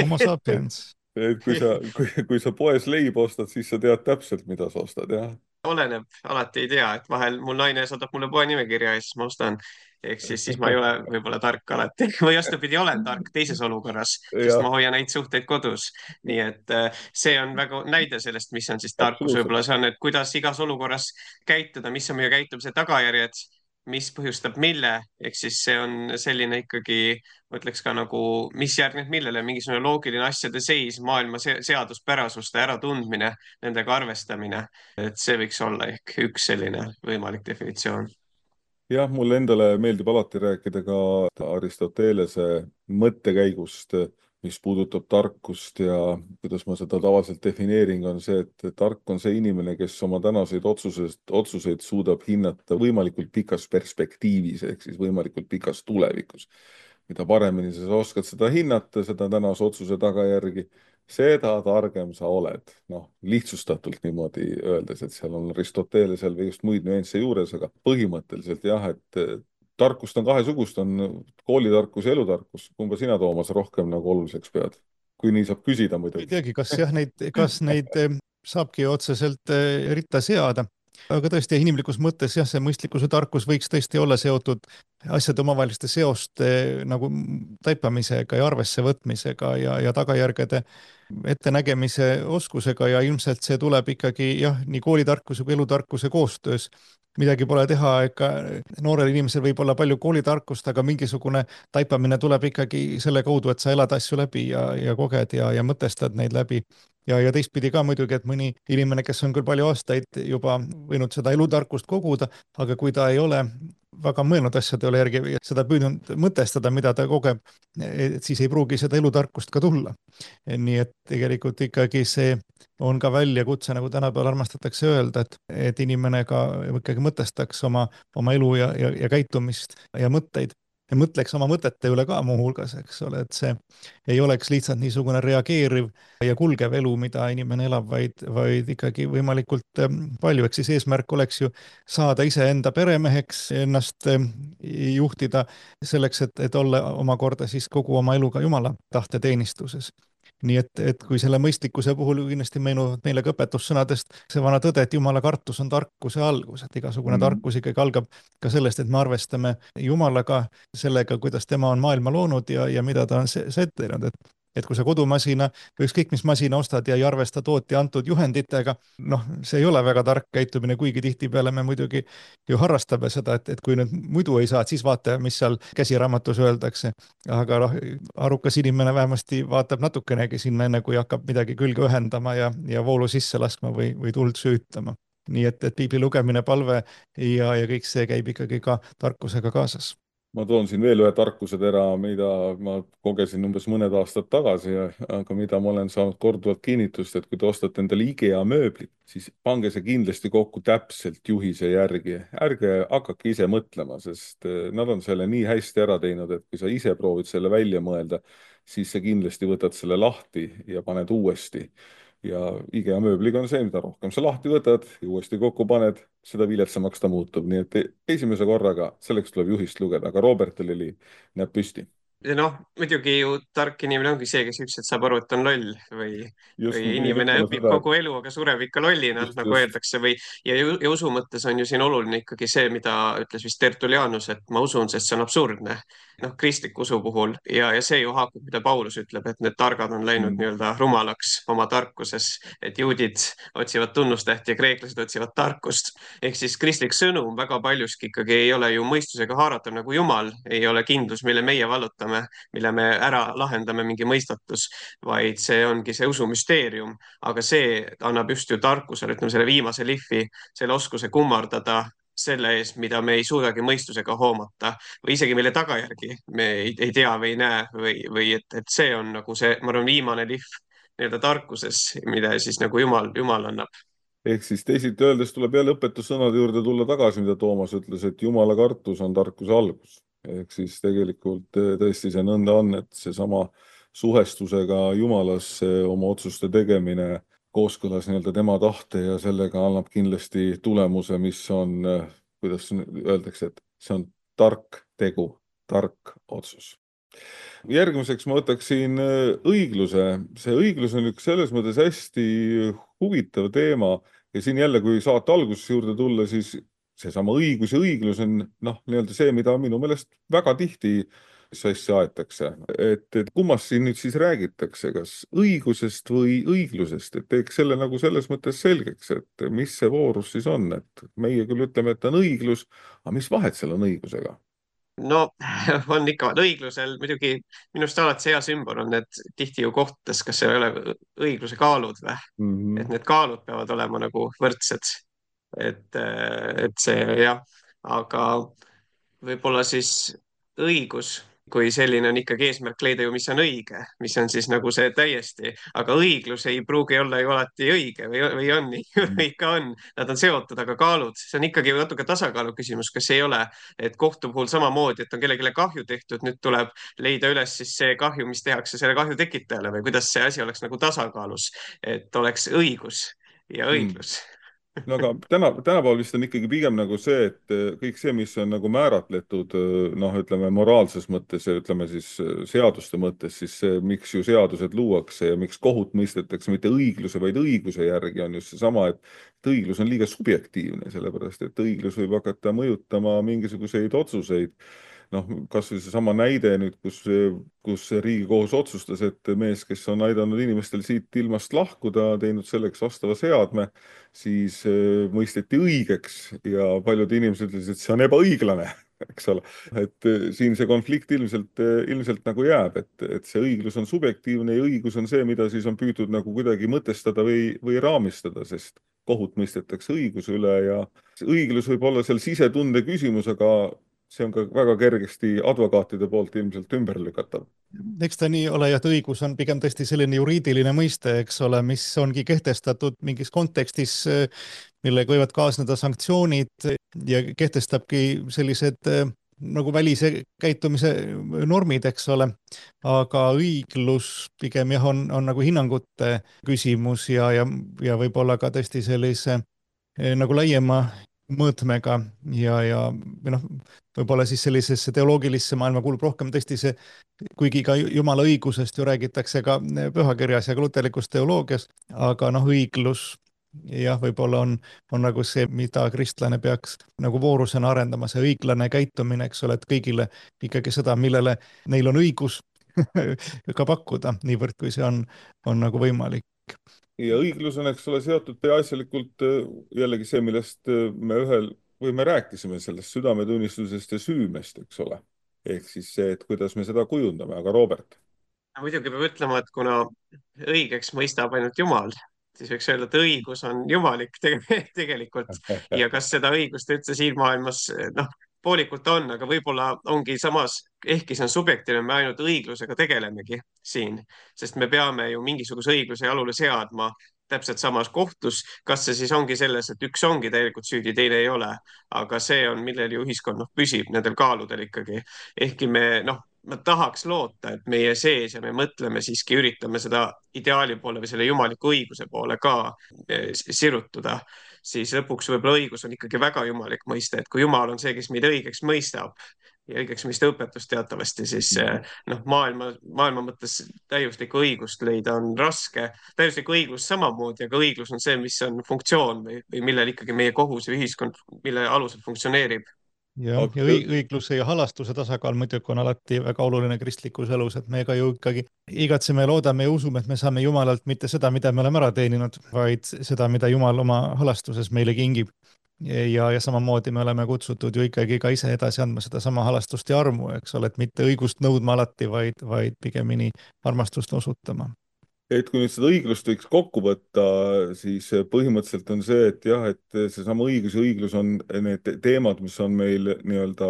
Homo sapiens. Et kui sa, kui, kui sa poes leib ostad, siis sa tead täpselt, mida sa ostad, jah? Oleneb, alati ei tea, et vahel mul naine saadab mulle poe nimekirja ja siis ma ostan. Ehk siis, siis ma ei ole võib-olla tark alati või vastupidi, olen tark teises olukorras, sest ma hoian neid suhteid kodus. Nii et see on väga näide sellest, mis on siis tarkus. Võib-olla see on, et kuidas igas olukorras käituda, mis on meie käitumise tagajärjed, mis põhjustab mille, ehk siis see on selline ikkagi, mõtleks ka nagu, mis järgneb millele, mingisugune loogiline asjade seis, maailma seaduspärasuste äratundmine, nendega arvestamine, et see võiks olla ehk üks selline võimalik definitsioon. Jah, mulle endale meeldib alati rääkida ka Aristotelese mõttekäigust, mis puudutab tarkust ja kuidas ma seda tavaliselt defineerin, on see, et tark on see inimene, kes oma tänaseid otsuseid, otsuseid suudab hinnata võimalikult pikas perspektiivis, ehk siis võimalikult pikas tulevikus. Mida paremini sa oskad seda hinnata, seda tänase otsuse tagajärgi, seda targem sa oled. Noh, lihtsustatult niimoodi öeldes, et seal on Aristotelesel või just muid nüansse juures, aga põhimõtteliselt jah, et tarkust on kahesugust, on koolitarkus ja elutarkus. Kumba sina, Toomas, rohkem nagu oluliseks pead? Kui nii saab küsida muidugi. Ei teagi, kas, jah, neid, kas neid saabki otseselt ritta seada. Aga tõesti inimlikus mõttes jah, see mõistlikkus ja tarkus võiks tõesti olla seotud asjade omavaheliste seoste nagu taipamisega ja arvesse võtmisega ja, ja tagajärgede ettenägemise oskusega ja ilmselt see tuleb ikkagi jah, nii koolitarkuse kui elutarkuse koostöös. Midagi pole teha, ega noorel inimesel võib olla palju koolitarkust, aga mingisugune taipamine tuleb ikkagi selle kaudu, et sa elad asju läbi ja, ja koged ja, ja mõtestad neid läbi. Ja, ja teistpidi ka muidugi, et mõni inimene, kes on küll palju aastaid juba võinud seda elutarkust koguda, aga kui ta ei ole väga mõelnud asjade üle järgi ja seda püüdnud mõtestada, mida ta kogeb, et siis ei pruugi seda elutarkust ka tulla. Nii et tegelikult ikkagi see on ka väljakutse, nagu tänapäeval armastatakse öelda, et, et inimene ka ikkagi mõtestaks oma, oma elu ja, ja, ja käitumist ja mõtteid. Ja mõtleks oma mõtete üle ka muuhulgas, eks ole, et see ei oleks lihtsalt niisugune reageeriv ja kulgev elu, mida inimene elab, vaid, vaid ikkagi võimalikult palju. Eks siis eesmärk oleks ju saada ise enda peremeheks, ennast juhtida selleks, et, et olla omakorda siis kogu oma eluga Jumala tahte teenistuses. Nii et, et kui selle mõistlikkuse puhul kindlasti meenuvad meile ka õpetussõnadest see vana tõde, et Jumala kartus on tarkuse algus, et igasugune mm. tarkus ikkagi algab ka sellest, et me arvestame Jumalaga, sellega, kuidas tema on maailma loonud ja, ja mida ta on ette teinud, et Et kui sa kodumasina või ükskõik mis masina ostad ja ei arvesta tootja antud juhenditega, noh, see ei ole väga tark käitumine, kuigi tihtipeale me muidugi ju harrastame seda, et, et kui nüüd muidu ei saa, siis vaata, mis seal käsiraamatus öeldakse. Aga noh, arukas inimene vähemasti vaatab natukenegi sinna enne, kui hakkab midagi külge ühendama ja, ja voolu sisse laskma või, või tuld süütama. Nii et, et piibli lugemine, palve ja, ja kõik see käib ikkagi ka tarkusega kaasas. Ma toon siin veel ühe tarkusetera, mida ma kogesin umbes mõned aastad tagasi, aga mida ma olen saanud korduvalt kinnitust, et kui te ostate endale IKEA mööblit, siis pange see kindlasti kokku täpselt juhise järgi. Ärge hakake ise mõtlema, sest nad on selle nii hästi ära teinud, et kui sa ise proovid selle välja mõelda, siis sa kindlasti võtad selle lahti ja paned uuesti. Ja IKEA mööbliga on see, mida rohkem sa lahti võtad ja uuesti kokku paned, seda viletsamaks ta muutub. Nii et esimese korraga selleks tuleb juhist lugeda, aga Robertil oli näeb püsti. ja noh, muidugi ju tark inimene ongi see, kes ükskord saab aru, et on loll või, Just või ma pidin inimene ütlema õpib seda, kogu elu, aga sureb ikka lollina, just, nagu just. öeldakse või ja, ju- ja usu mõttes on ju siin oluline ikkagi see, mida ütles vist Tertullianus, et ma usun, sest see on absurdne. noh, kristliku usu puhul ja, ja see ju haakub, mida Paulus ütleb, et need targad on läinud Mm. nii-öelda rumalaks oma tarkuses, et juudid otsivad tunnustähti ja kreeklased otsivad tarkust. ehk siis kristlik sõnum väga paljuski ikkagi ei ole ju mõistusega haaratav nagu Jumal, ei ole kindlus, mille meie vallutame, mille me ära lahendame, mingi mõistatus, vaid see ongi see usumüsteerium, aga see annab just ju tarkusele, ütleme selle viimase lihvi, selle oskuse kummardada selle ees, mida me ei suudagi mõistusega hoomata või isegi mille tagajärgi me ei, ei tea või ei näe või, või et, et see on nagu see, ma arvan, viimane lihv nii-öelda tarkuses, mida siis nagu Jumal, Jumal annab. Ehk siis teisiti öeldes tuleb jälle õpetussõnade juurde tulla tagasi, mida Toomas ütles, et Jumala kartus on tarkuse algus. Ehk siis tegelikult eh, tõesti see nõnda on, et seesama suhestusega Jumalasse oma otsuste tegemine kooskõlas nii-öelda tema tahte ja sellega annab kindlasti tulemuse, mis on, eh, kuidas öeldakse, et see on tark tegu, tark otsus. Järgmiseks ma võtaksin eh, õigluse. See õiglus on üks selles mõttes hästi huvitav teema ja siin jälle, kui saate algusesse juurde tulla, siis seesama õigus ja õiglus on noh, nii-öelda see, mida minu meelest väga tihti sassi aetakse. Et, et kummast siin nüüd siis räägitakse, kas õigusest või õiglusest, et teeks selle nagu selles mõttes selgeks, et mis see voorus siis on, et meie küll ütleme, et on õiglus, aga mis vahet seal on õigusega? no on ikka, õiglusel muidugi minu arust alati see hea sümbol on, et tihti ju kohtades, kas seal ei ole õigluse kaalud või, Mm -hmm. et need kaalud peavad olema nagu võrdsed. et, et see jah, aga võib-olla siis õigus kui selline on ikkagi eesmärk leida ju, mis on õige, mis on siis nagu see täiesti, aga õiglus ei pruugi olla ju alati õige või, või on nii, või ikka on, nad on seotud, aga kaalud, see on ikkagi natuke tasakaalu küsimus, kas ei ole, et kohtu puhul samamoodi, et on kellelegi kahju tehtud, nüüd tuleb leida üles siis see kahju, mis tehakse selle kahju tekitajale või kuidas see asi oleks nagu tasakaalus, et oleks õigus ja õiglus mm. No aga täna, tänapäeval vist on ikkagi pigem nagu see, et kõik see, mis on nagu määratletud, noh, ütleme moraalses mõttes ja ütleme siis seaduste mõttes, siis see, miks ju seadused luuakse ja miks kohut mõistetakse mitte õigluse, vaid õiguse järgi on just seesama, et õiglus on liiga subjektiivne, sellepärast et õiglus võib hakata mõjutama mingisuguseid otsuseid. Noh, kas või seesama näide nüüd, kus, kus Riigikohus otsustas, et mees, kes on aidanud inimestel siit ilmast lahkuda, teinud selleks vastava seadme, siis mõisteti õigeks ja paljud inimesed ütlesid, et see on ebaõiglane, eks ole. Et siin see konflikt ilmselt, ilmselt nagu jääb, et, et see õiglus on subjektiivne ja õigus on see, mida siis on püüdud nagu kuidagi mõtestada või, või raamistada, sest kohut mõistetakse õiguse üle ja õiglus võib olla seal sisetunde küsimus, aga see on ka väga kergesti advokaatide poolt ilmselt ümber lükatav. Eks ta nii ole, et õigus on pigem tõesti selline juriidiline mõiste, eks ole, mis ongi kehtestatud mingis kontekstis, millega võivad kaasneda sanktsioonid ja kehtestabki sellised nagu välise käitumise normid, eks ole. Aga õiglus pigem jah, on, on nagu hinnangute küsimus ja, ja, ja võib-olla ka tõesti sellise nagu laiema mõõtmega ja, ja või noh, võib-olla siis sellisesse teoloogilisse maailma kuulub rohkem tõesti see, kuigi ka Jumala õigusest ju räägitakse ka pühakirjas ja ka luterlikus teoloogias, aga noh, õiglus jah, võib-olla on, on nagu see, mida kristlane peaks nagu voorusena arendama, see õiglane käitumine, eks ole, et kõigile ikkagi seda, millele neil on õigus ka pakkuda, niivõrd kui see on, on nagu võimalik. Ja õiglus on, eks ole, seotud peaasjalikult jällegi see, millest me ühel või me rääkisime sellest südametunnistusest ja süümest, eks ole. Ehk siis see, et kuidas me seda kujundame, aga Robert? Muidugi peab ütlema, et kuna õigeks mõistab ainult Jumal, siis võiks öelda, et õigus on jumalik tegelikult ja kas seda õigust üldse siin maailmas, noh, poolikult on, aga võib-olla ongi samas, ehkki see on subjektiivne, me ainult õiglusega tegelemegi siin, sest me peame ju mingisuguse õigluse jalule seadma täpselt samas kohtus, kas see siis ongi selles, et üks ongi täielikult süüdi, teine ei ole, aga see on, millel ju ühiskond noh, püsib nendel kaaludel ikkagi, ehkki me noh, ma tahaks loota, et meie sees ja me mõtleme siiski, üritame seda ideaali poole või selle jumaliku õiguse poole ka sirutuda, siis lõpuks võib-olla õigus on ikkagi väga jumalik mõiste, et kui Jumal on see, kes meid õigeks mõistab, ja õigeksmõista õpetus teatavasti siis noh, maailma, maailma mõttes täiuslikku õigust leida on raske. Täiuslikku õiglust samamoodi, aga õiglus on see, mis on funktsioon või, või millel ikkagi meie kohus ja ühiskond, mille alusel funktsioneerib. jah, ja õi- õigluse ja halastuse tasakaal muidugi on alati väga oluline kristlikus elus, et me ka ju ikkagi igatseme ja loodame ja usume, et me saame Jumalalt mitte seda, mida me oleme ära teeninud, vaid seda, mida Jumal oma halastuses meile kingib. ja, ja samamoodi me oleme kutsutud ju ikkagi ka ise edasi andma sedasama halastust ja armu, eks ole, et mitte õigust nõudma alati, vaid, vaid pigemini armastust osutama. Et kui nüüd seda õiglust võiks kokku võtta, siis põhimõtteliselt on see, et jah, et seesama õigus ja õiglus on need teemad, mis on meil nii-öelda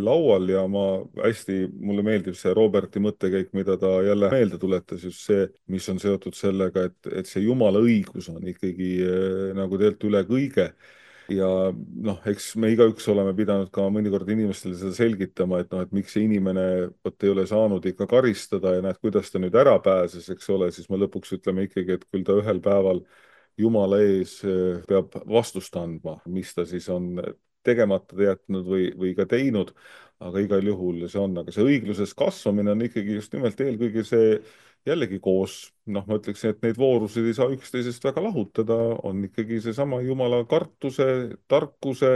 laual ja ma hästi, mulle meeldib see Roberti mõttekäik, mida ta jälle meelde tuletas, just see, mis on seotud sellega, et, et see Jumala õigus on ikkagi nagu tegelikult üle kõige. Ja noh, eks me igaüks oleme pidanud ka mõnikord inimestele seda selgitama, et noh, et miks see inimene võt ei ole saanud ikka karistada ja näed, kuidas ta nüüd ära pääses, eks ole, siis me lõpuks ütleme ikkagi, et küll ta ühel päeval Jumala ees peab vastust andma, mis ta siis on tegemata jätnud või, või ka teinud, aga igal juhul see on, aga see õigluses kasvamine on ikkagi just nimelt eelkõige see jällegi koos, noh, ma ütleksin, et neid voorusid ei saa üksteisest väga lahutada, on ikkagi seesama Jumala kartuse, tarkuse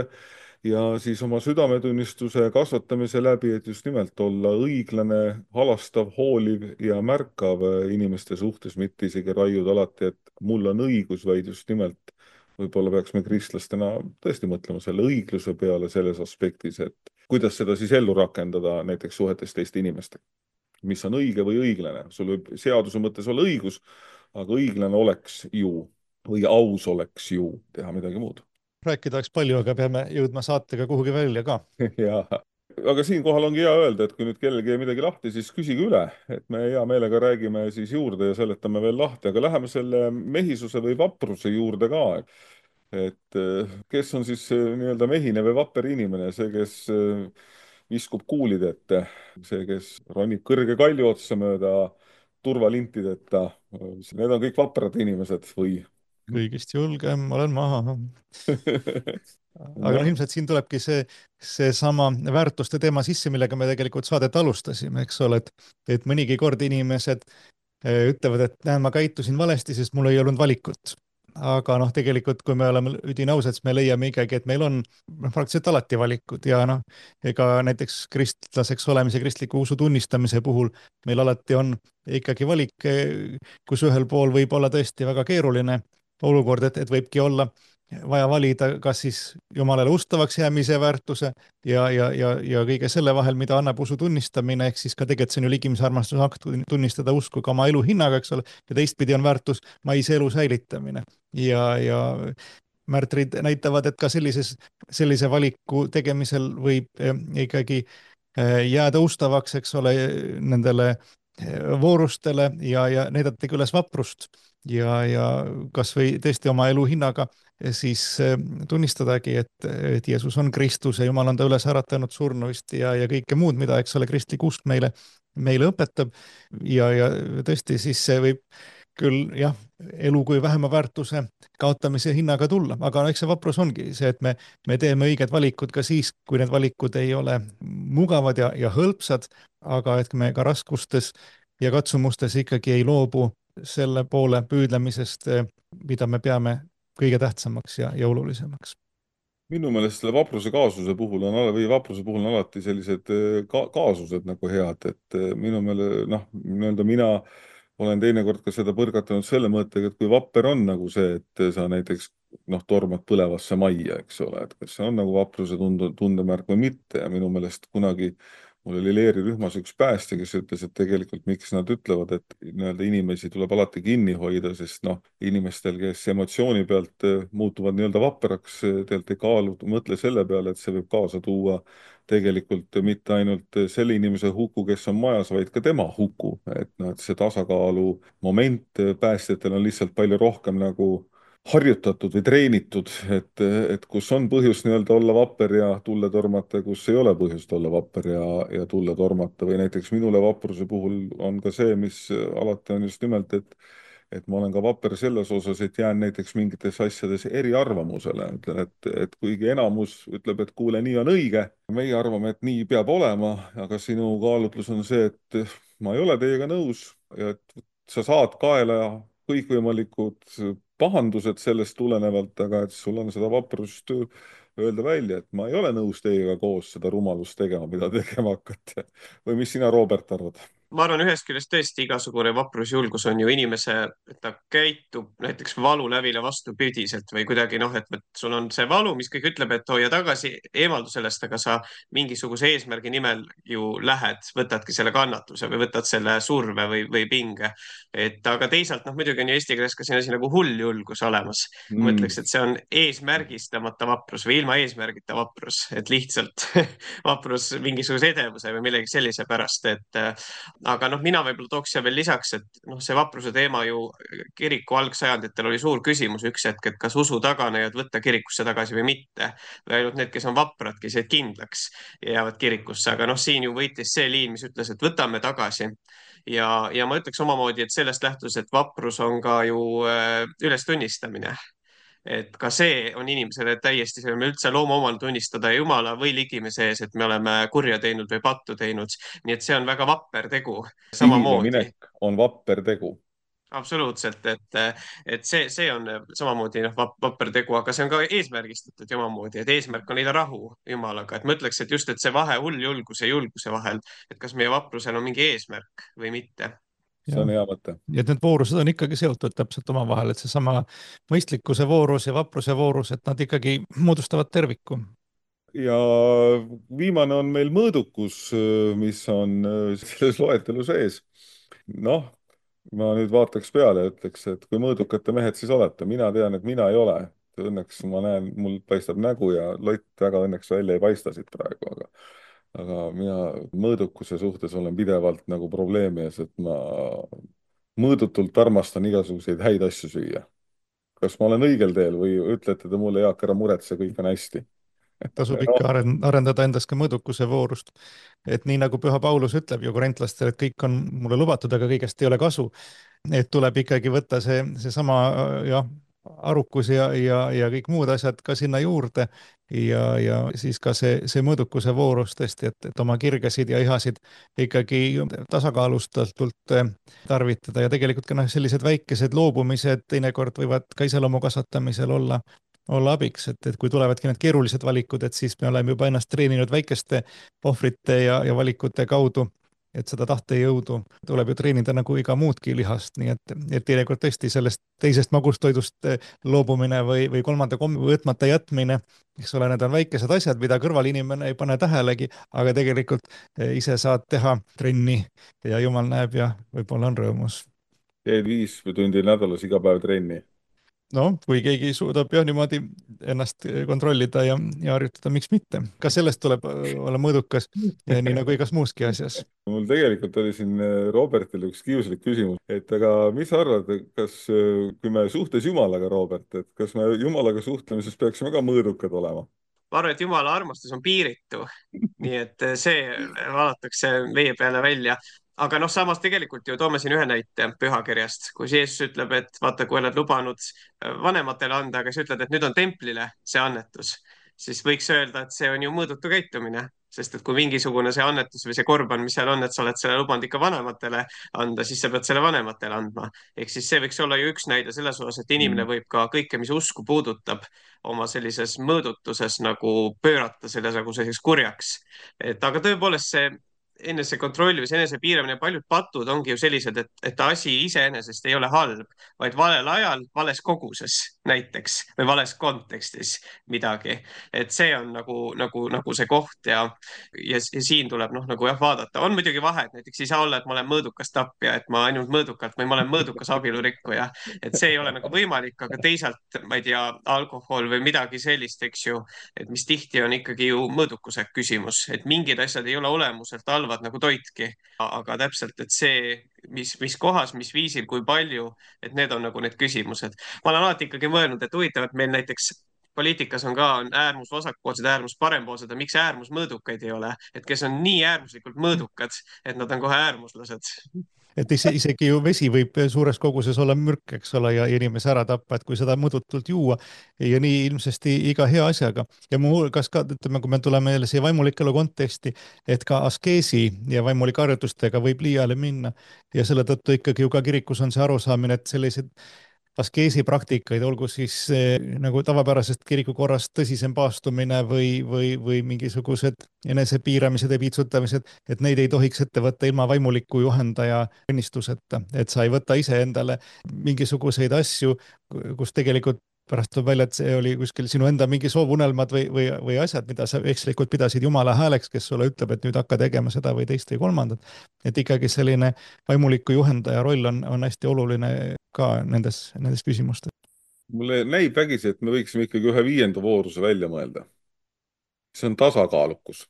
ja siis oma südametunnistuse kasvatamise läbi, et just nimelt olla õiglane, halastav, hooliv ja märkav inimeste suhtes, mitte isegi raiuda alati, et mul on õigus, vaid just nimelt võib-olla peaks me kristlastena tõesti mõtlema selle õigluse peale selles aspektis, et kuidas seda siis ellu rakendada näiteks suhetes teiste inimestega. Mis on õige või õiglane. Sul võib seaduse mõttes olla õigus, aga õiglane oleks ju või aus oleks ju teha midagi muud. Rääkida oleks palju, aga peame jõudma saatega kuhugi välja ka. Ja, aga siinkohal ongi hea öelda, et kui nüüd kellelgi midagi lahti, siis küsige üle, et me hea meelega räägime siis juurde ja seletame veel lahti, aga läheme selle mehisuse või vapruse juurde ka. Et kes on siis nii-öelda mehine või vapper inimene, see, kes viskub kuulid ette, see, kes ronib kõrge kalju otsa mööda turvalintideta, need on kõik vaprad inimesed või? Kõigist julgem olen maha. Aga noh, ilmselt siin tulebki see, see sama väärtuste teema sisse, millega me tegelikult saadet alustasime, eks ole, et, et mõnigi kord inimesed ütlevad, et näen, ma käitusin valesti, sest mul ei olnud valikut. Aga noh, tegelikult kui me oleme üdini ausad, siis me leiame ikkagi, et meil on praktiliselt alati valikud ja noh, ega näiteks kristlaseks olemise, kristliku usu tunnistamise puhul meil alati on ikkagi valik, kus ühel pool võib olla tõesti väga keeruline olukord, et, et võibki olla vaja valida, kas siis Jumalale ustavaks jäämise väärtuse ja, ja, ja, ja kõige selle vahel, mida annab usu tunnistamine, ehk siis ka tegelikult see on ju ligimise armastuse akt tunnistada usku ka oma elu hinnaga, eks ole, ja teistpidi on väärtus maise elu säilitamine. Ja, ja märtrid näitavad, et ka sellises, sellise valiku tegemisel võib ikkagi jääda ustavaks, eks ole, nendele voorustele ja, ja näidatagi üles vaprust ja, ja kas või tõesti oma elu hinnaga siis tunnistadagi, et, et Jeesus on Kristus ja Jumal on ta üles äratanud surnuist ja, ja kõike muud, mida, eks ole, kristlik usk meile, meile õpetab ja, ja tõesti siis see võib küll jah, elu kui vähema väärtuse kaotamise hinnaga tulla, aga eks see vaprus ongi see, et me, me teeme õiged valikud ka siis, kui need valikud ei ole mugavad ja, ja hõlpsad, aga et me ka raskustes ja katsumustes ikkagi ei loobu selle poole püüdlemisest, mida me peame kõige tähtsamaks ja, ja olulisemaks. Minu meelest selle vapruse kaasuse puhul on, või vapruse puhul on alati sellised ka, kaasused nagu head, et minu meele, noh, nii-öelda mina olen teinekord ka seda põrgatanud selle mõttega, et kui vapper on nagu see, et sa näiteks noh, tormad põlevasse majja, eks ole, et kas see on nagu vapruse tunde, tundemärk või mitte ja minu meelest kunagi mul oli leerirühmas üks päästja, kes ütles, et tegelikult miks nad ütlevad, et nii-öelda inimesi tuleb alati kinni hoida, sest noh, inimestel, kes emotsiooni pealt muutuvad nii-öelda vapraks, tegelikult ei kaalu, mõtle selle peale, et see võib kaasa tuua tegelikult mitte ainult selle inimese huku, kes on majas, vaid ka tema huku. Et noh, et see tasakaalu moment päästjatel on lihtsalt palju rohkem nagu harjutatud või treenitud, et, et kus on põhjus nii-öelda olla vapper ja tulle tormata, kus ei ole põhjust olla vapper ja, ja tulle tormata või näiteks minule vapruse puhul on ka see, mis alati on just nimelt, et et ma olen ka vapper selles osas, et jään näiteks mingites asjades eriarvamusele. Ütlen, et, et kuigi enamus ütleb, et kuule, nii on õige, meie arvame, et nii peab olema, aga sinu kaalutlus on see, et ma ei ole teiega nõus ja et sa saad kaela kõikvõimalikud pahandused sellest tulenevalt, aga et sul on seda vaprust öelda välja, et ma ei ole nõus teiega koos seda rumalust tegema, mida tegema hakkate. Või mis sina, Robert, arvad? Ma arvan, ühest küljest tõesti igasugune vaprusjulgus on ju inimese, et ta käitub näiteks valulävile vastupidiselt või kuidagi noh, et sul on see valu, mis kõik ütleb, et hoia tagasi, eemaldu sellest, aga sa mingisuguse eesmärgi nimel ju lähed, võtadki selle kannatuse või võtad selle surve või, või pinge. Et aga teisalt, noh, muidugi on ju eesti keeles ka siin asi nagu hulljulgus olemas. Ma Mm. ütleks, et see on eesmärgistamata vaprus või ilma eesmärgita vaprus, et lihtsalt vaprus mingisuguse edevuse või millegi sellise pärast, et aga noh, mina võib-olla tooks siia veel lisaks, et noh, see vapruse teema ju kiriku algsajanditel oli suur küsimus üks hetk, et kas usu taganejad võtta kirikusse tagasi või mitte. Või ainult need, kes on vaprad, kes jäid kindlaks ja jäävad kirikusse, aga noh, siin ju võitis see liin, mis ütles, et võtame tagasi. Ja, ja ma ütleks omamoodi, et sellest lähtus, et vaprus on ka ju äh, ülestunnistamine. Et ka see on inimesele täiesti, see on üldse loomaomane tunnistada Jumala või ligime sees, et me oleme kurja teinud või pattu teinud. Nii et see on väga vapper tegu Sihile samamoodi. minek on vapper tegu. Absoluutselt, et, et see, see on samamoodi noh, vapper tegu, aga see on ka eesmärgistatud omamoodi, et eesmärk on leida rahu Jumalaga. Et ma ütleks, et just, et see vahe hulljulguse ja julguse vahel, et kas meie vaprusel on mingi eesmärk või mitte. See on hea mõte. Ja et need voorused on ikkagi seotud täpselt oma vahel, et see sama mõistlikkuse voorus ja vapruse voorus, et nad ikkagi moodustavad terviku. Ja viimane on meil mõõdukus, mis on selles loetelu sees. Noh, ma nüüd vaataks peale ja ütleks, et kui mõõdukate mehed siis olete, mina tean, et mina ei ole. Õnneks ma näen, mul paistab nägu ja lott väga õnneks välja ei paista siit praegu, aga aga mina mõõdukuse suhtes olen pidevalt nagu probleemi ees, et ma mõõdutult armastan igasuguseid häid asju süüa. Kas ma olen õigel teel või ütlete te mulle, Jaak, ära muretse, kõik on hästi? Tasub ikka arendada endas ka mõõdukuse voorust. Et nii nagu Püha Paulus ütleb ju korintlastele, et kõik on mulle lubatud, aga kõigest ei ole kasu. Et tuleb ikkagi võtta see, see sama jah, arukus ja, ja, ja kõik muud asjad ka sinna juurde ja, ja siis ka see, see mõõdukuse voorus tõesti, et, et oma kirgesid ja ihasid ikkagi tasakaalustatult tarvitada ja tegelikult ka noh, sellised väikesed loobumised teinekord võivad ka iseloomu kasvatamisel olla olla abiks, et, et kui tulevadki need keerulised valikud, et siis me oleme juba ennast treeninud väikeste ohvrite ja, ja valikute kaudu, et seda tahtejõudu tuleb ju treenida nagu iga muudki lihast, nii et, et teinekord tõesti sellest teisest magustoidust loobumine või, või kolmanda kommi võtmata jätmine, eks ole, need on väikesed asjad, mida kõrvalinimene ei pane tähelegi, aga tegelikult ise saad teha trenni ja Jumal näeb ja võib-olla on rõõmus. Teed viis tundi nädalas iga päev trenni. No, kui keegi suudab jah niimoodi ennast kontrollida ja, ja harjutada, miks mitte. Ka sellest tuleb olla mõõdukas, nii nagu igas muuski asjas. Mul tegelikult oli siin Robertile üks kiuslik küsimus, et aga mis sa arvad, kas kui me suhtes Jumalaga, Robert, et kas me Jumalaga suhtlemises peaksime ka mõõdukad olema? Ma arvan, et Jumala armastus on piiritu, nii et see vaadatakse meie peale välja. Aga noh, samas tegelikult ju toome siin ühe näite pühakirjast, kus Jeesus ütleb, et vaata, kui oled lubanud vanematele anda, aga sa ütled, et nüüd on templile see annetus, siis võiks öelda, et see on ju mõõdutu käitumine, sest et kui mingisugune see annetus või see korban, mis seal on, et sa oled selle lubanud ikka vanematele anda, siis sa pead selle vanematele andma. Ehk siis see võiks olla ju üks näide selles osas, et inimene võib ka kõike, mis usku puudutab, oma sellises mõõdutuses nagu pöörata selle nagu selliseks kurjaks. Et aga tõepoolest see enesekontroll või see enesepiiramine, paljud patud ongi ju sellised, et, et asi iseenesest ei ole halb, vaid valel ajal, vales koguses näiteks või vales kontekstis midagi. Et see on nagu, nagu, nagu see koht ja, ja, ja siin tuleb noh, nagu jah, vaadata. On muidugi vahe, et näiteks ei saa olla, et ma olen mõõdukas tapja, et ma ainult mõõdukalt või ma olen mõõdukas abielurikkuja. Et see ei ole nagu võimalik, aga teisalt, ma ei tea, alkohol või midagi sellist, eks ju, et mis tihti on ikkagi ju mõõdukuse küsimus, et mingid asjad ei ole olemuselt halvad nagu toitki, aga täpselt, et see, mis, mis kohas, mis viisil, kui palju, et need on nagu need küsimused. Ma olen alati ikkagi mõelnud, et huvitav, et meil näiteks poliitikas on ka on äärmus vasakpoolsed, äärmus parempoolsed ja miks äärmus mõõdukaid ei ole, et kes on nii äärmuslikult mõõdukad, et nad on kohe äärmuslased. et ise, isegi ju vesi võib suures koguses olla mürk, eks ole, ja inimese ära tappa, et kui seda mõõdutult juua ja nii ilmsesti iga hea asjaga. Ja muuhulgas ka, ütleme, kui me tuleme jälle siia vaimulikelu konteksti, et ka askeesi ja vaimulike harjutustega võib liiale minna ja selle tõttu ikkagi ju ka kirikus on see arusaamine, et sellised askeesi praktikaid, olgu siis eh, nagu tavapärasest kirikukorrast tõsisem paastumine või, või, või mingisugused enesepiiramised ja piitsutamised, et neid ei tohiks ette võtta ilma vaimuliku juhendaja õnnistuseta, et sa ei võta ise endale mingisuguseid asju, kus tegelikult pärast tuleb välja, et see oli kuskil sinu enda mingi soovunelmad või, või, või asjad, mida sa ekslikult pidasid Jumala hääleks, kes sulle ütleb, et nüüd hakka tegema seda või teist või kolmandat. Et ikkagi selline vaimuliku juhendaja roll on, on hästi oluline ka nendes, nendes küsimustes. Mulle näib vägisi, et me võiksime ikkagi ühe viienda vooruse välja mõelda. See on tasakaalukus.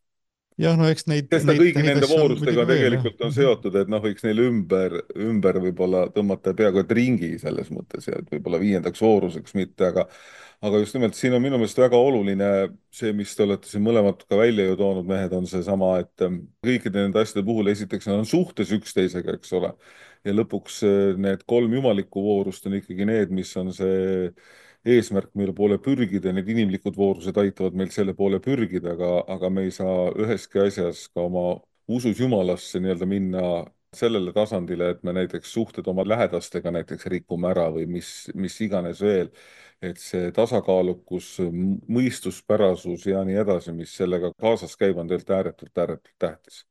Jah, no eks neid... Sest neid, kõigi neid nende voorustega veel, tegelikult jah. on seotud, et noh, võiks neile ümber, ümber võib-olla tõmmata peaaegu et ringi selles mõttes ja et võib-olla viiendaks vooruseks mitte, aga aga just nimelt siin on minu meelest väga oluline see, mis te olete siin mõlemad ka välja ju toonud, mehed, on see sama, et kõikide nende asjade puhul esiteks on suhtes üksteisega, eks ole. Ja lõpuks need kolm jumalikku voorust on ikkagi need, mis on see eesmärk, mille poole pürgida, need inimlikud voorused aitavad meil selle poole pürgida, aga, aga me ei saa üheski asjas ka oma usus Jumalasse nii-öelda minna sellele tasandile, et me näiteks suhted oma lähedastega näiteks rikume ära või mis, mis iganes veel, et see tasakaalukus, mõistuspärasus ja nii edasi, mis sellega kaasas käib, on tegelikult ääretult, ääretult tähtis.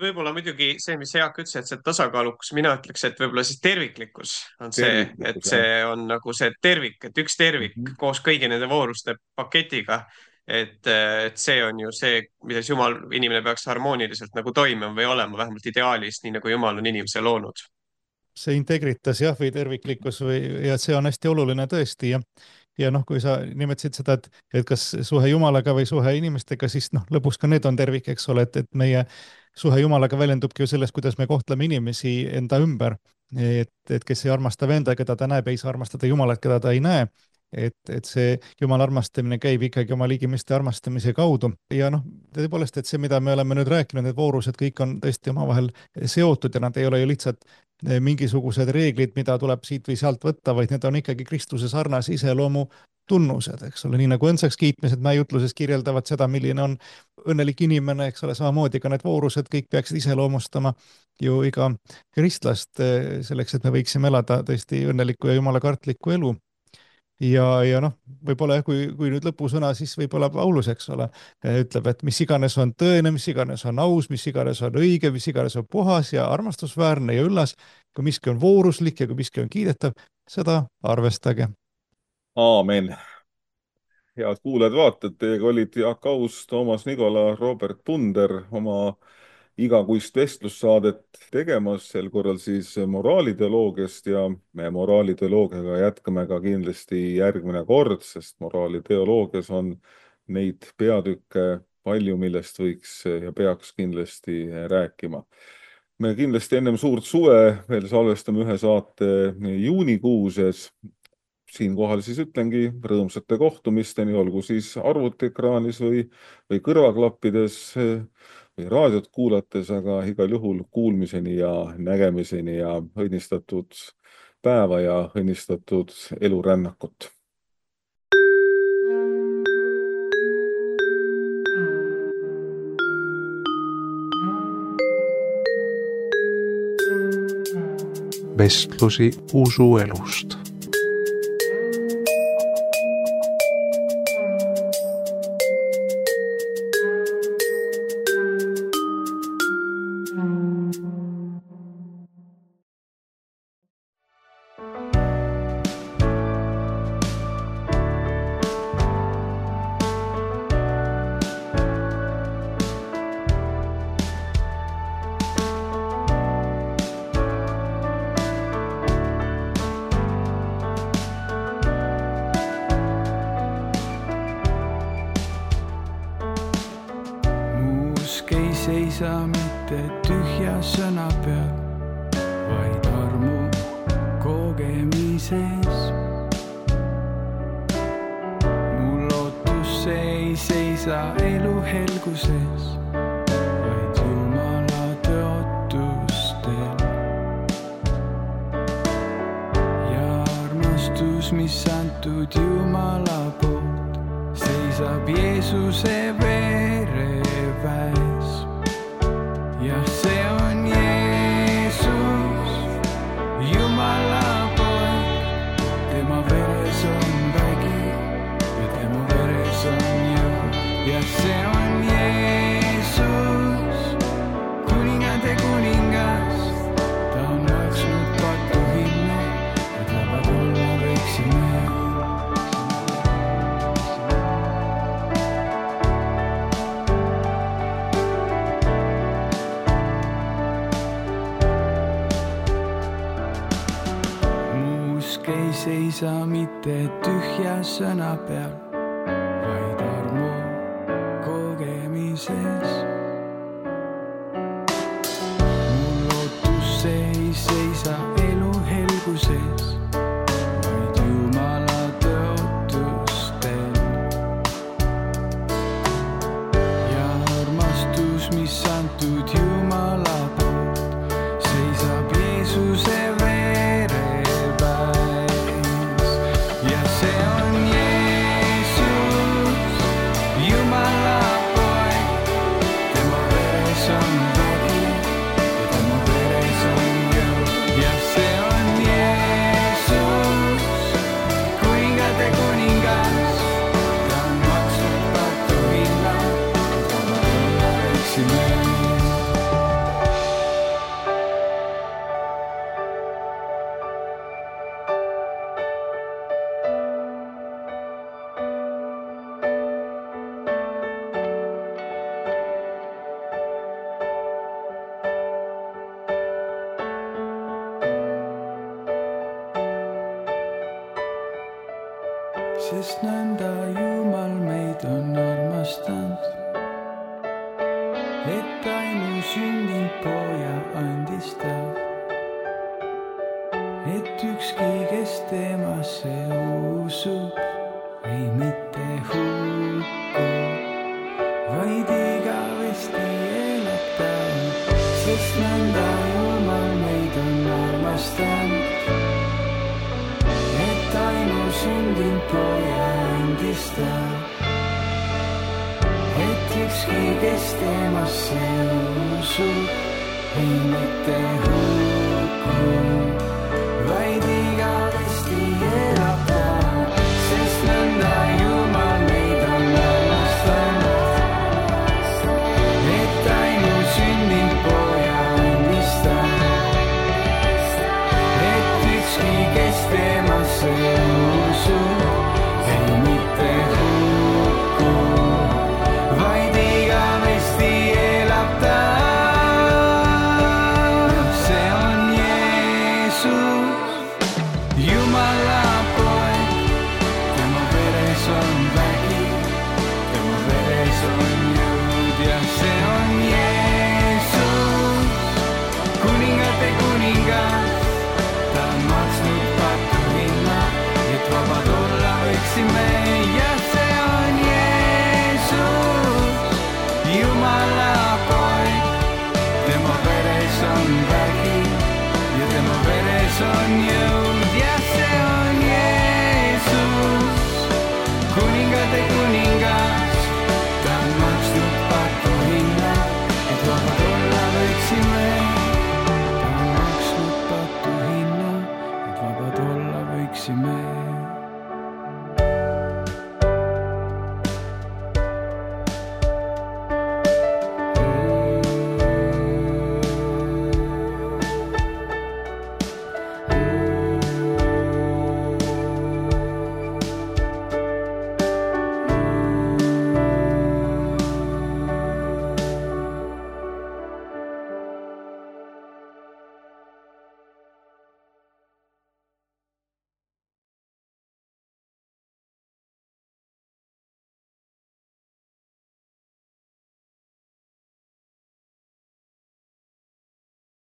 Võib-olla muidugi see, mis Jaak ütles, et see tasakaalukus, mina ütleks, et võib-olla siis terviklikkus on see, terviklikkus, et see jah. On nagu see tervik, et üks tervik mm -hmm. koos kõigi nende vooruste paketiga, et, et see on ju see, milles Jumal, inimene peaks harmooniliselt nagu toimima või olema, vähemalt ideaalis, nii nagu Jumal on inimese loonud. See integritas jah, või terviklikkus või, ja see on hästi oluline tõesti ja Ja noh, kui sa nimetasid seda, et, et kas suhe Jumalaga või suhe inimestega, siis noh, lõpuks ka need on tervik, eks ole, et, et meie suhe Jumalaga väljendubki ju sellest, kuidas me kohtleme inimesi enda ümber. Et, et kes ei armasta venda, keda ta näeb, ei saa armastada Jumalat, keda ta ei näe. Et, et see Jumala armastamine käib ikkagi oma ligimeste armastamise kaudu. Ja noh, tõepoolest, et see, mida me oleme nüüd rääkinud, need voorused kõik on tõesti omavahel seotud ja nad ei ole ju lihtsalt mingisugused reeglid, mida tuleb siit või sealt võtta, vaid need on ikkagi Kristuse sarnase iseloomu tunnused, eks ole, nii nagu õndsaks kiitmised mäejutluses kirjeldavad seda, milline on õnnelik inimene, eks ole, samamoodi ka need voorused kõik peaksid iseloomustama ju iga kristlast selleks, et me võiksime elada tõesti õnnelikku ja jumalakartlikku elu. Ja, ja noh, võib-olla jah, kui, kui nüüd lõpusõna, siis võib-olla Paulus, eks ole, ütleb, et mis iganes on tõene, mis iganes on aus, mis iganes on õige, mis iganes on puhas ja armastusväärne ja üllas, kui miski on vooruslik ja kui miski on kiidetav, seda arvestage. Aamen. Head kuulajad, vaated, teiega olid Jaak Aus, Toomas Nikola, Robert Punder oma igakuist vestlussaadet tegemas, sel korral siis moraaliteoloogiast ja me moraaliteoloogiaga jätkame ka kindlasti järgmine kord, sest moraaliteoloogias on neid peatükke palju, millest võiks ja peaks kindlasti rääkima. Me kindlasti ennem suurt suve veel salvestame ühe saate juunikuuses. Siinkohal siis ütlengi rõõmsate kohtumisteni, olgu siis arvutiekraanis või, või kõrvaklappides või raadiot kuulates, aga igal juhul kuulmiseni ja nägemiseni ja õnnistatud päeva ja õnnistatud elurännakut. Vestlusi usuelust. Seisa mitte tühja sõna peal, vaid armu kogemises. Mu lootus ei seisa elu helguses, vaid Jumala tõotustel. mis antud Jumala poolt, seisab Jeesuse vereväes. Jah, see on Jeesus, Jumala poeg, tema veres on vägi ja tema veres on jõud. Jah, see on Jeesus, kuningade kuningas, ta on maksnud patu hinna, et vabad olla võiksime. Ei seisa mitte tühja sõna peal, vaid armu kogemises. Mu lootus ei seisa elu helguses, vaid Jumala tõotustel. Ja armastus, mis antud Jumala poolt, seisab Jeesuse sest nõnda Jumal meid on armastanud, et ainu sündinud poja andis ta, et ükski, kes temasse usub, ei mitte hukku, vaid igavesti elab ta. Sest nõnda Jumal meid on armastanud, ainu sündinud poja andis ta, et ükski, kes temasse usub, ei mitte hukku.